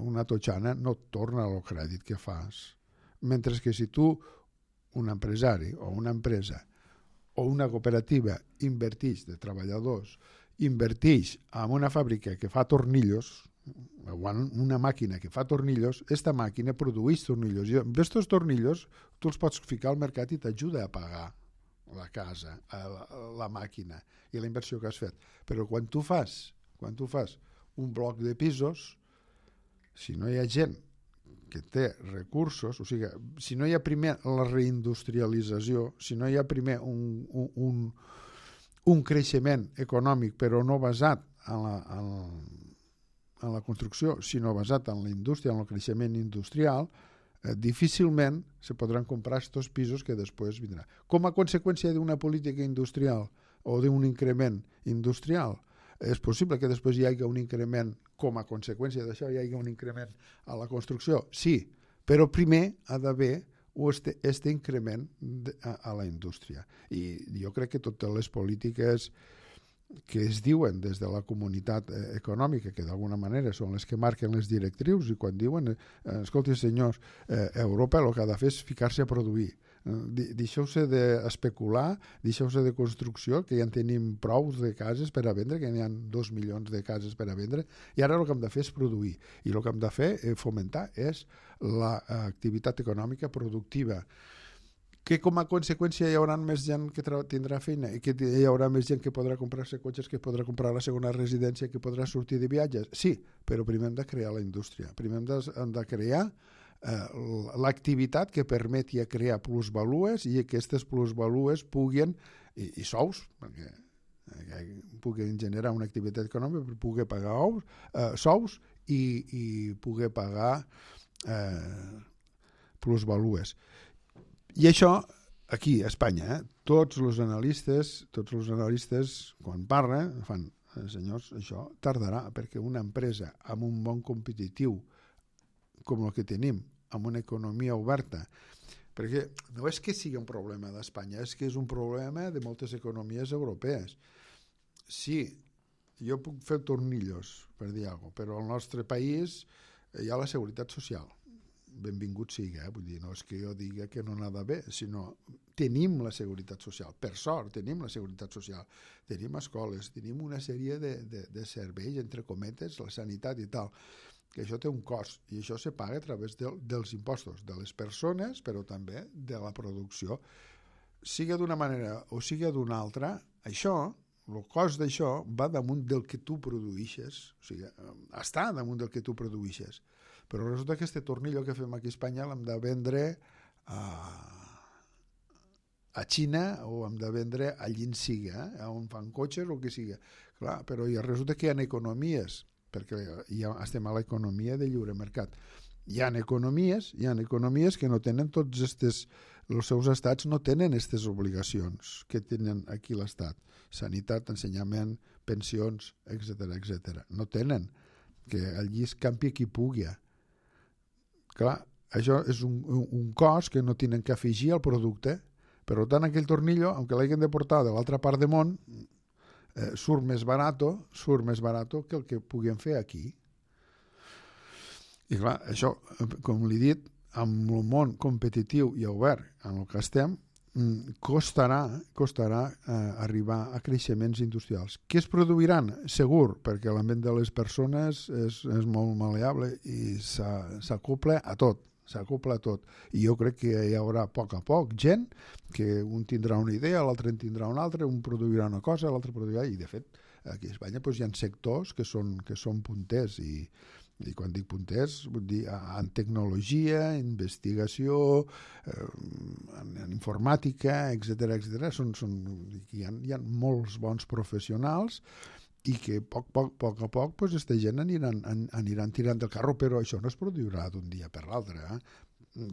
una totxana no et torna el crèdit que fas. Mentre que si tu, un empresari o una empresa o una cooperativa inverteix de treballadors, inverteix en una fàbrica que fa tornillos, o una màquina que fa tornillos, aquesta màquina produeix tornillos. I amb aquests tornillos tu els pots ficar al mercat i t'ajuda a pagar la casa, la màquina i la inversió que has fet. Però quan tu fas un bloc de pisos, si no hi ha gent que té recursos, o sigui, si no hi ha primer la reindustrialització, si no hi ha primer un creixement econòmic, però no basat en la construcció, sinó basat en la indústria, en el creixement industrial, difícilment se podran comprar aquests pisos que després vindran. Com a conseqüència d'una política industrial o d'un increment industrial, és possible que després hi hagi un increment, com a conseqüència d'això hi hagi un increment a la construcció? Sí, però primer ha d'haver aquest increment a la indústria. I jo crec que totes les polítiques que es diuen des de la comunitat econòmica, que d'alguna manera són les que marquen les directrius, i quan diuen, escolti senyors, Europa el que ha de fer és ficar-se a produir. Deixeu-se d'especular, deixeu-se de construcció, que ja en tenim prou de cases per a vendre, que hi ha 2 milions de cases per a vendre, i ara el que hem de fer és produir. I el que hem de fer, fomentar, és l'activitat econòmica productiva, que com a conseqüència hi haurà més gent que tindrà feina i que hi haurà més gent que podrà comprar-se cotxes, que podrà comprar la segona residència, que podrà sortir de viatges. Sí, però primer hem de crear la indústria, primer hem de crear l'activitat que permeti crear plusvalues i que aquestes plusvalues puguin, i sous, perquè puguin generar una activitat econòmica per poder pagar sous i poder pagar plusvalues. I això, aquí a Espanya, tots els analistes, quan parlen, fan, senyors, això tardarà, perquè una empresa amb un món competitiu com el que tenim, amb una economia oberta, perquè no és que sigui un problema d'Espanya, és que és un problema de moltes economies europees. Sí, jo puc fer tornillos, per dir alguna cosa, però al nostre país hi ha la seguretat social. Benvingut sigui, vull dir, no és que jo digui que no n'ha d'haver, sinó tenim la seguretat social, per sort tenim la seguretat social, tenim escoles, tenim una sèrie de serveis, entre cometes, la sanitat i tal, que això té un cost, i això se paga a través dels impostos, de les persones, però també de la producció. Sigui d'una manera o sigui d'una altra, això, el cost d'això va damunt del que tu produïxes, o sigui, està damunt del que tu produïxes. Però resulta que aquest tornillo que fem aquí a Espanya l'hem de vendre a Xina o hem de vendre allí en siga, on fan cotxes o que siga. Clar, però resulta que hi ha economies, perquè ja estem a l'economia de lliure mercat. Hi ha economies que no tenen tots els seus estats no tenen aquestes obligacions que tenen aquí l'estat. Sanitat, ensenyament, pensions, etc. No tenen, que allí es campi qui pugui. Clar, això és un cost que no tenen que afegir al producte. Per tant, aquell tornillo, aunque l'hagin de portar de l'altra part del món, surt més barat que el que puguin fer aquí. I clar, això, com li he dit, amb el món competitiu i obert en el que estem, costarà arribar a creixements industrials. Què es produiran? Segur, perquè l'ambient de les persones és molt maleable i s'acopla a tot. I jo crec que hi haurà a poc gent que un tindrà una idea, l'altre en tindrà una altra, un produirà una cosa, l'altre produirà, i de fet Aquí a Espanya doncs, hi ha sectors que són punters i quan dic punters vull dir en tecnologia, investigació, en informàtica, etc. Hi ha molts bons professionals i que a poc doncs, aquesta gent aniran tirant del carro, però això no es produirà d'un dia per l'altre.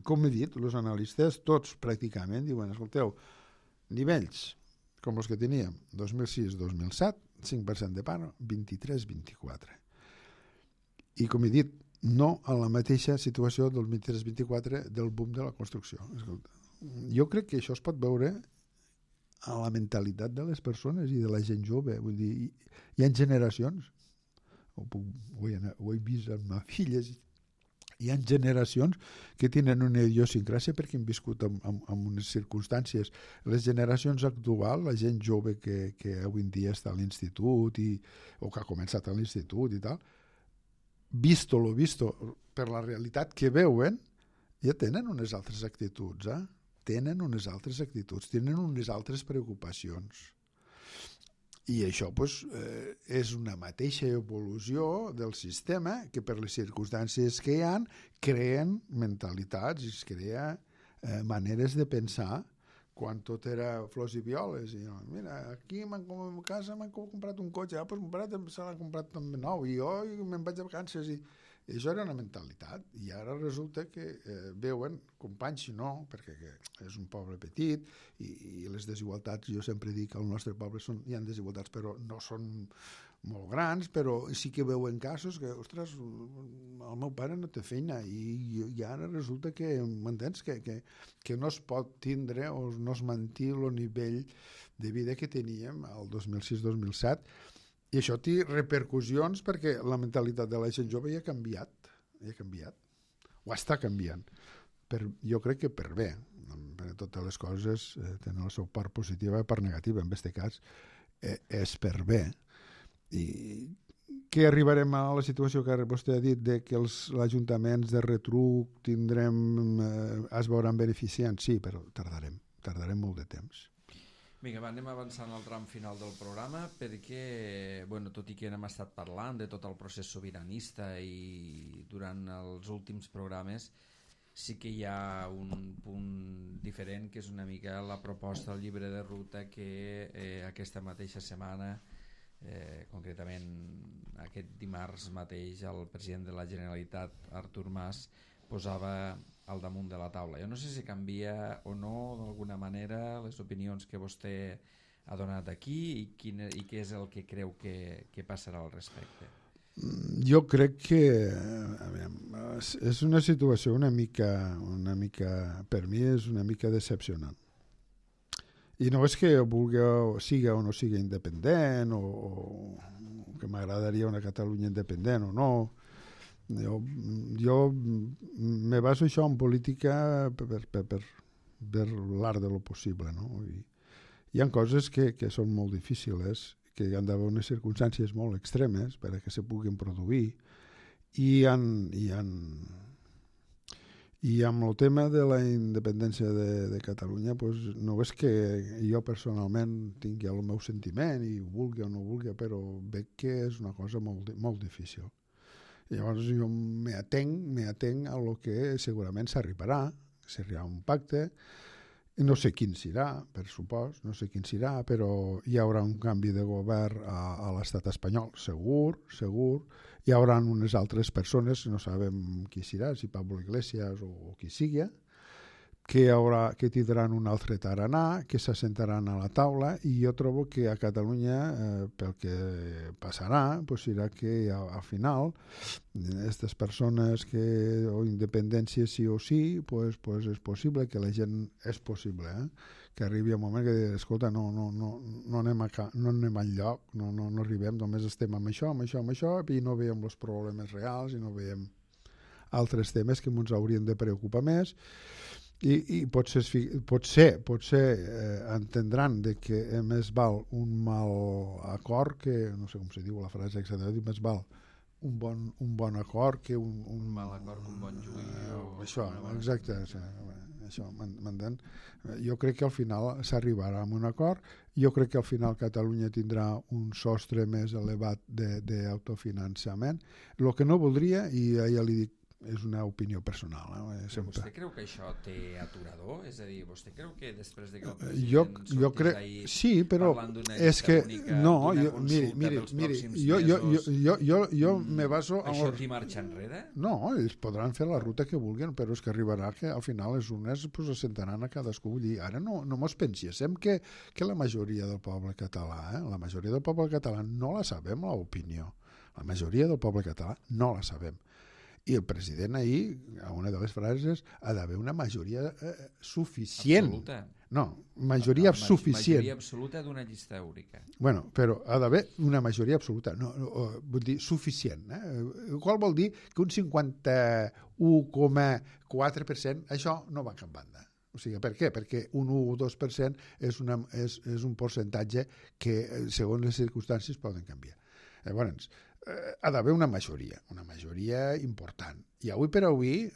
Com he dit, els analistes tots pràcticament diuen, escolteu, nivells com els que teníem 2006-2007, 5% de paro, 23-24. I com he dit, no a la mateixa situació del 23-24 del boom de la construcció. Escolta, jo crec que això es pot veure a la mentalitat de les persones i de la gent jove. Vull dir, hi ha generacions, ho he vist amb ma filla, hi ha generacions que tenen una idiosincràsia perquè han viscut en unes circumstàncies. Les generacions actuals, la gent jove que avui en dia està a l'institut o que ha començat a l'institut i tal, visto per la realitat que veuen, ja tenen unes altres actituds, tenen unes altres preocupacions. I això és una mateixa evolució del sistema que per les circumstàncies que hi ha creen mentalitats i es crea maneres de pensar quan tot era flors i violes. I, mira, aquí a casa m'han comprat un cotxe, doncs mon pare se l'ha comprat també nou i jo me'n vaig de vacances i això era una mentalitat i ara resulta que veuen companys, si no, perquè és un poble petit i les desigualtats, jo sempre dic que al nostre poble hi ha desigualtats però no són molt grans, però sí que veuen casos que, ostres, el meu pare no té feina i ara resulta que, m'entens, que no es pot tindre o no es manté el nivell de vida que teníem el 2006-2007 i això té repercussions perquè la mentalitat de la gent jove ja ha canviat, o està canviant. Jo crec que per bé, perquè totes les coses tenen la seva part positiva i part negativa, en aquest cas és per bé. I que arribarem a la situació que vostè ha dit de que els ajuntaments de retruc es veuran beneficiants? Sí, però tardarem molt de temps. Vinga, anem avançant al tram final del programa perquè, tot i que hem estat parlant de tot el procés sobiranista i durant els últims programes sí que hi ha un punt diferent que és una mica la proposta del llibre de ruta que aquesta mateixa setmana, concretament aquest dimarts mateix, el president de la Generalitat, Artur Mas, posava al damunt de la taula. Jo no sé si canvia o no d'alguna manera les opinions que vostè ha donat aquí i què és el que creu que passarà al respecte. Jo crec que és una situació una mica, per mi és una mica decepcionant. I no és que siga o no siga independent o que m'agradaria una Catalunya independent o no. Jo me baso això en política per l'art de lo possible, no? Hi ha coses que són molt difícils, que hi ha d'haver unes circumstàncies molt extremes perquè se puguin produir i amb el tema de la independència de Catalunya no és que jo personalment tingui el meu sentiment i ho vulgui o no ho vulgui, però veig que és una cosa molt, molt difícil. Llavors jo m'atenc a lo que segurament s'arribarà un pacte, i no sé quin serà, per supost, però hi haurà un canvi de govern a l'estat espanyol, segur, hi haurà unes altres persones, no sabem qui serà, si Pablo Iglesias o qui sigui, que tindran un altre tarannà, que s'assentaran a la taula, i jo trobo que a Catalunya pel que passarà serà que al final aquestes persones o independència sí o sí, és possible que la gent que arribi un moment que digui, escolta, no anem enlloc, no arribem, només estem amb això, i no veiem els problemes reals i no veiem altres temes que ens haurien de preocupar més. I potser entendran que més val un mal acord que, no sé com se diu la frase exactament, més val un bon acord que un mal acord que un bon juí això, exacte, això, m'entén? Jo crec que al final s'arribarà a un acord, jo crec que al final Catalunya tindrà un sostre més elevat d'autofinançament. El que no voldria, i ja li dic, és una opinió personal. Vostè creu que això té aturador? És a dir, vostè creu que després de que el jo president crec, ahir sí, però parlant d'una és llista que única, no, d'una consulta pels pròxims mesos, jo me baso això t'hi marxa enrere? No, ells podran fer la ruta que vulguin, però és que arribarà que al final les urnes pues, se sentaran a cadascú. Vull dir, ara no mos penséssim que la majoria del poble català, la majoria del poble català no la sabem, l'opinió. La majoria del poble català no la sabem. I el president ahir, a una de les frases, ha d'haver una majoria suficient. Absoluta. No, majoria suficient. Majoria absoluta d'una llista única. Bueno, però ha d'haver una majoria absoluta, vull dir suficient. Qual vol dir que un 51,4% això no va cap banda. O sigui, per què? Perquè un 1 o 2% és un percentatge que, segons les circumstàncies, poden canviar. Llavors, ha d'haver una majoria important. I avui per avui,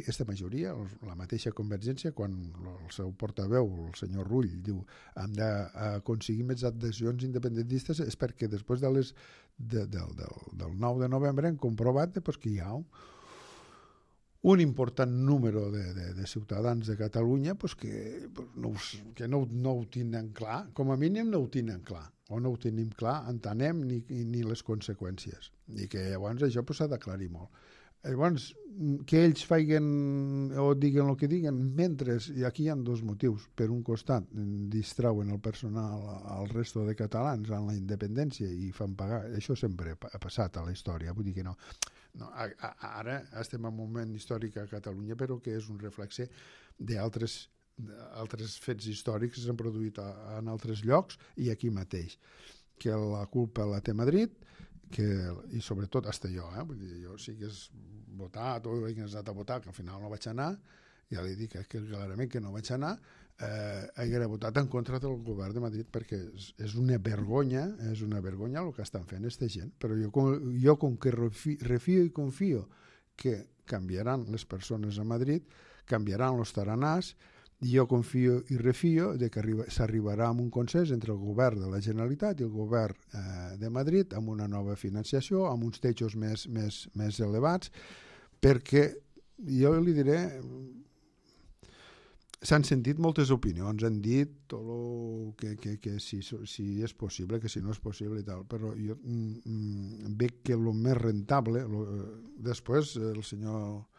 aquesta majoria, la mateixa Convergència, quan el seu portaveu, el senyor Rull, diu hem d'aconseguir més adhesions independentistes, és perquè després del 9 de novembre hem comprovat que hi ha un important número de ciutadans de Catalunya que no ho tenen clar, com a mínim no ho tenen clar, o no ho tenim clar, entenem ni les conseqüències, i que llavors això s'ha d'aclarir molt. Llavors, que ells facin o diguen el que diguen, mentre aquí hi ha dos motius. Per un costat, distrauen el personal al resto de catalans en la independència i fan pagar. Això sempre ha passat a la història, vull dir que no. Ara estem en un moment històric a Catalunya, però que és un reflexe d'altres fets històrics que s'han produït en altres llocs i aquí mateix. Que la culpa la té Madrid, i sobretot hasta jo, vull dir, jo sí que he votat o he anat a votar, que al final no vaig anar, ja li dic que clarament que no vaig anar, haguera votat en contra del govern de Madrid perquè és una vergonya el que estan fent aquesta gent, però jo com que refio i confio que canviaran les persones a Madrid, canviaran els taranars, jo confio i refio de que s'arribarà a un consens entre el govern de la Generalitat i el govern de Madrid amb una nova financiació, amb uns techos més elevats, perquè jo li diré, s'han sentit moltes opinions, han dit tot el que si és possible, que si no és possible i tal, però jo veig que el més rentable, després el senyor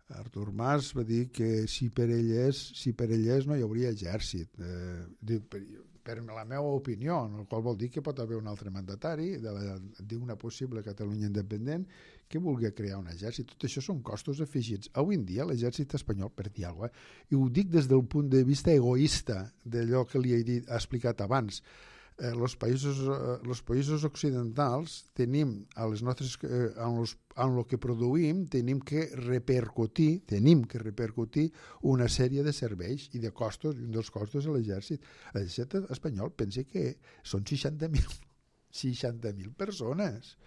Artur Mas va dir que si per ell és no hi hauria exèrcit. Per la meva opinió, el qual vol dir que pot haver un altre mandatari d'una possible Catalunya independent que vulgui crear un exèrcit. Tot això són costos afegits. Avui en dia l'exèrcit espanyol, per dir alguna cosa, i ho dic des del punt de vista egoista d'allò que li he explicat abans, els països occidentals tenim en el que produïm tenim que repercutir una sèrie de serveis i de costos, i un dels costos de l'exèrcit. L'exèrcit espanyol pensa que són 60.000 persones.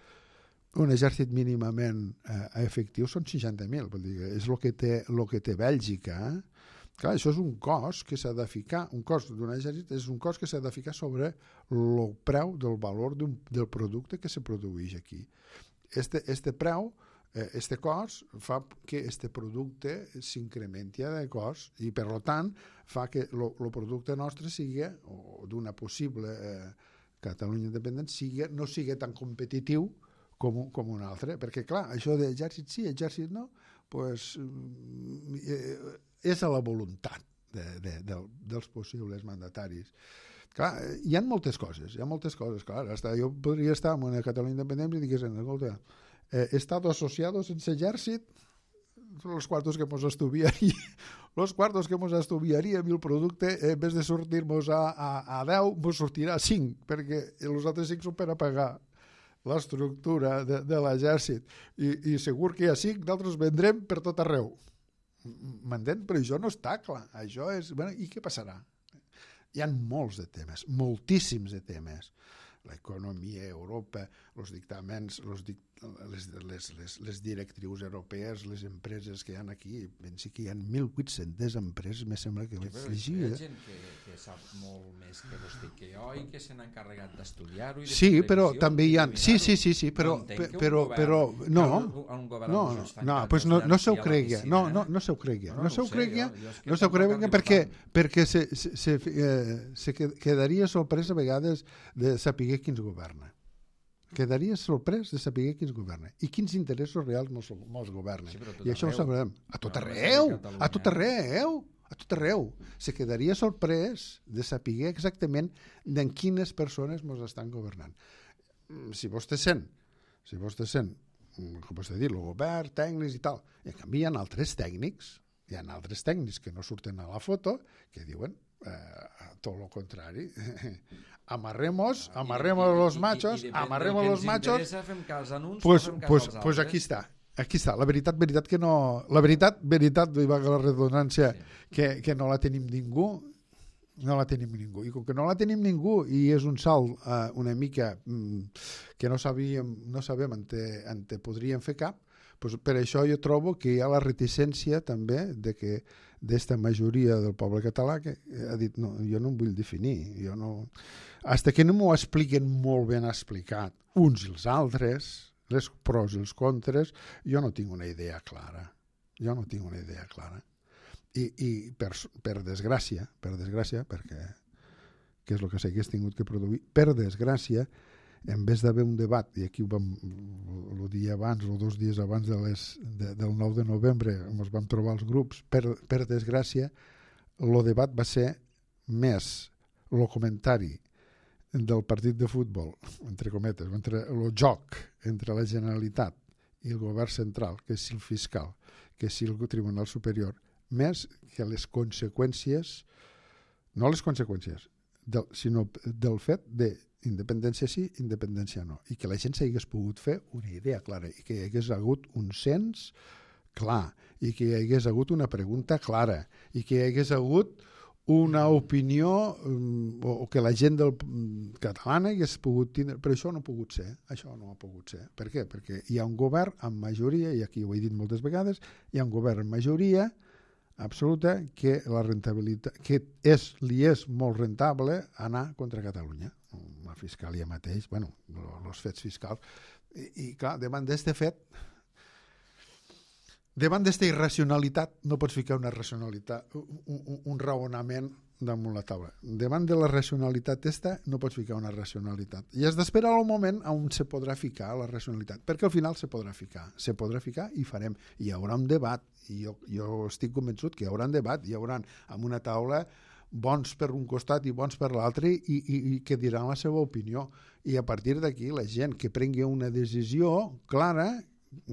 Un exèrcit mínimament efectiu són 60.000, vol dir, és el que té Bèlgica. Clar, això és un cost que s'ha de ficar, un cost d'un exèrcit és un cost que s'ha de ficar sobre el preu del valor del producte que se produeix aquí. Este preu, este cost, fa que este producte s'incrementi de cost i, per tant, fa que el producte nostre sigui, o d'una possible Catalunya independent, no sigui tan competitiu com un altre. Perquè, clar, això d'exèrcit sí, exèrcit no, doncs és a la voluntat dels possibles mandataris. Clar, hi ha moltes coses, clar. Jo podria estar en una Catalunya independent i digués, escolta, Estado asociado sense exèrcit, los cuartos que mos estudiaríem i el producte, en vez de sortir-nos a 10, mos sortirà a 5, perquè els altres 5 són per a pagar l'estructura de l'exèrcit. I segur que hi ha 5, d'altres vendrem per tot arreu. M'entén? Però això no està clar. Això és... Bueno, i què passarà? Hi ha molts de temes, moltíssims de temes. L'economia, Europa, els dictàmens, les directrius europees, les empreses que hi ha aquí, pensi que hi ha 1.800 empreses, me sembla que vaig llegir. Hi ha gent que sap molt més que vostè que jo i que se n'ha encarregat d'estudiar-ho. Sí, però també hi ha... Sí, però no, no se ho cregui, no se ho cregui, perquè se quedaria sorprès a vegades de saber qui ens governa. Quedaria sorprès de saber qui ens governa i quins interessos reals mos governen. I això ho sabrem. A tot arreu. Se quedaria sorprès de saber exactament de quines persones mos estan governant. Si vostè sent, com vostè dit, el govern, tècnics i tal, i en canvi hi ha altres tècnics que no surten a la foto, que diuen tot el contrari. Amarremos los machos, pues aquí està, la veritat que no, la veritat, i va la redundància, que no la tenim ningú, i com que no la tenim ningú i és un salt una mica que no sabem on podríem fer cap, pues per això jo trobo que hi ha la reticència també de que d'esta majoria del poble català que ha dit, no, jo no em vull definir, hasta que no m'ho expliquen molt ben explicat uns i els altres, les pros i els contres, jo no tinc una idea clara. I per desgràcia, perquè que és el que s'hagués tingut que produir, per desgràcia, en vez d'haver un debat, i aquí el dia abans o 2 dies abans del 9 de novembre ens vam trobar els grups, per desgràcia, el debat va ser més el comentari del partit de futbol, entre cometes, entre el joc entre la Generalitat i el govern central, que és el fiscal, que és el Tribunal Superior, més que les conseqüències, no les conseqüències, sinó del fet de independència sí, independència no, i que la gent s'hagués pogut fer una idea clara i que hi hagués hagut un cens clar i que hi hagués hagut una pregunta clara i que hi hagués hagut una opinió o que la gent catalana hagués pogut tindre, però això no ha pogut ser. Per què? Perquè hi ha un govern amb majoria, i aquí ho he dit moltes vegades, hi ha un govern amb majoria absoluta que la rentabilitat, que li és molt rentable anar contra Catalunya. La fiscalia mateix, els fets fiscals, i clar, davant d'este fet, davant d'esta irracionalitat, no pots ficar una racionalitat, un raonament damunt la taula. Davant de la racionalitat no pots ficar una racionalitat. I has d'esperar el moment on se podrà ficar la racionalitat, perquè al final se podrà ficar i farem. Hi haurà un debat, i jo estic convençut que hi haurà un debat, hi haurà amb una taula bons per un costat i bons per l'altre i que diran la seva opinió. I a partir d'aquí la gent que prengui una decisió clara,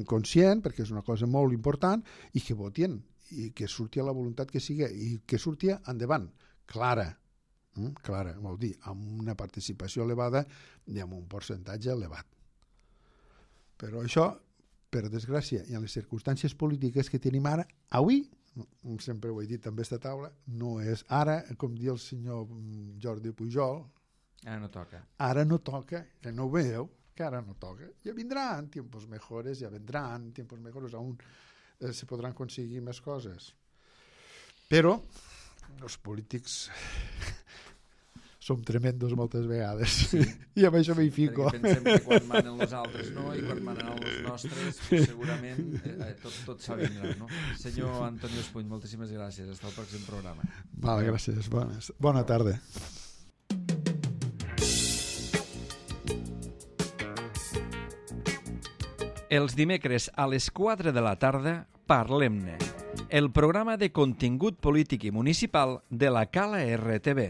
conscient, perquè és una cosa molt important, i que votin, i que surti a la voluntat que sigui, i que surti endavant, clara, vol dir, amb una participació elevada i amb un percentatge elevat. Però això, per desgràcia, i en les circumstàncies polítiques que tenim ara, avui, sempre ho he dit amb aquesta taula, no és ara, com diu el senyor Jordi Pujol, ara no toca, que no ho veieu, que ara no toca. Ja vindran tiempos mejores, aún se podran conseguir més coses. Però els polítics som tremendos moltes vegades, sí. I amb això m'hi fico. Perquè pensem que quan manen els altres no, i quan manen els nostres segurament tot s'avindrà, no? Senyor Antonio Espuny, moltíssimes gràcies. Hasta el pròxim programa. Vale, gràcies. Bona tarda. Els dimecres a les 4 de la tarda, Parlem-ne, el programa de contingut polític i municipal de la Cala RTV.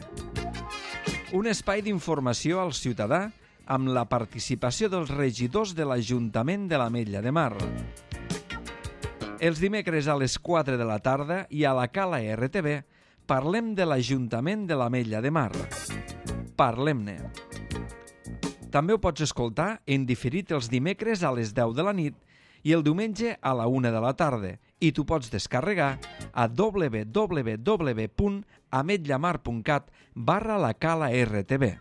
Un espai d'informació al ciutadà amb la participació dels regidors de l'Ajuntament de l'Ametlla de Mar. Els dimecres a les 4 de la tarda i a la Cala RTV parlem de l'Ajuntament de l'Ametlla de Mar. Parlem-ne. També ho pots escoltar en diferit els dimecres a les 10 de la nit i el diumenge a la 1 de la tarda i t'ho pots descarregar a www.ametllamar.cat/la Cala RTV.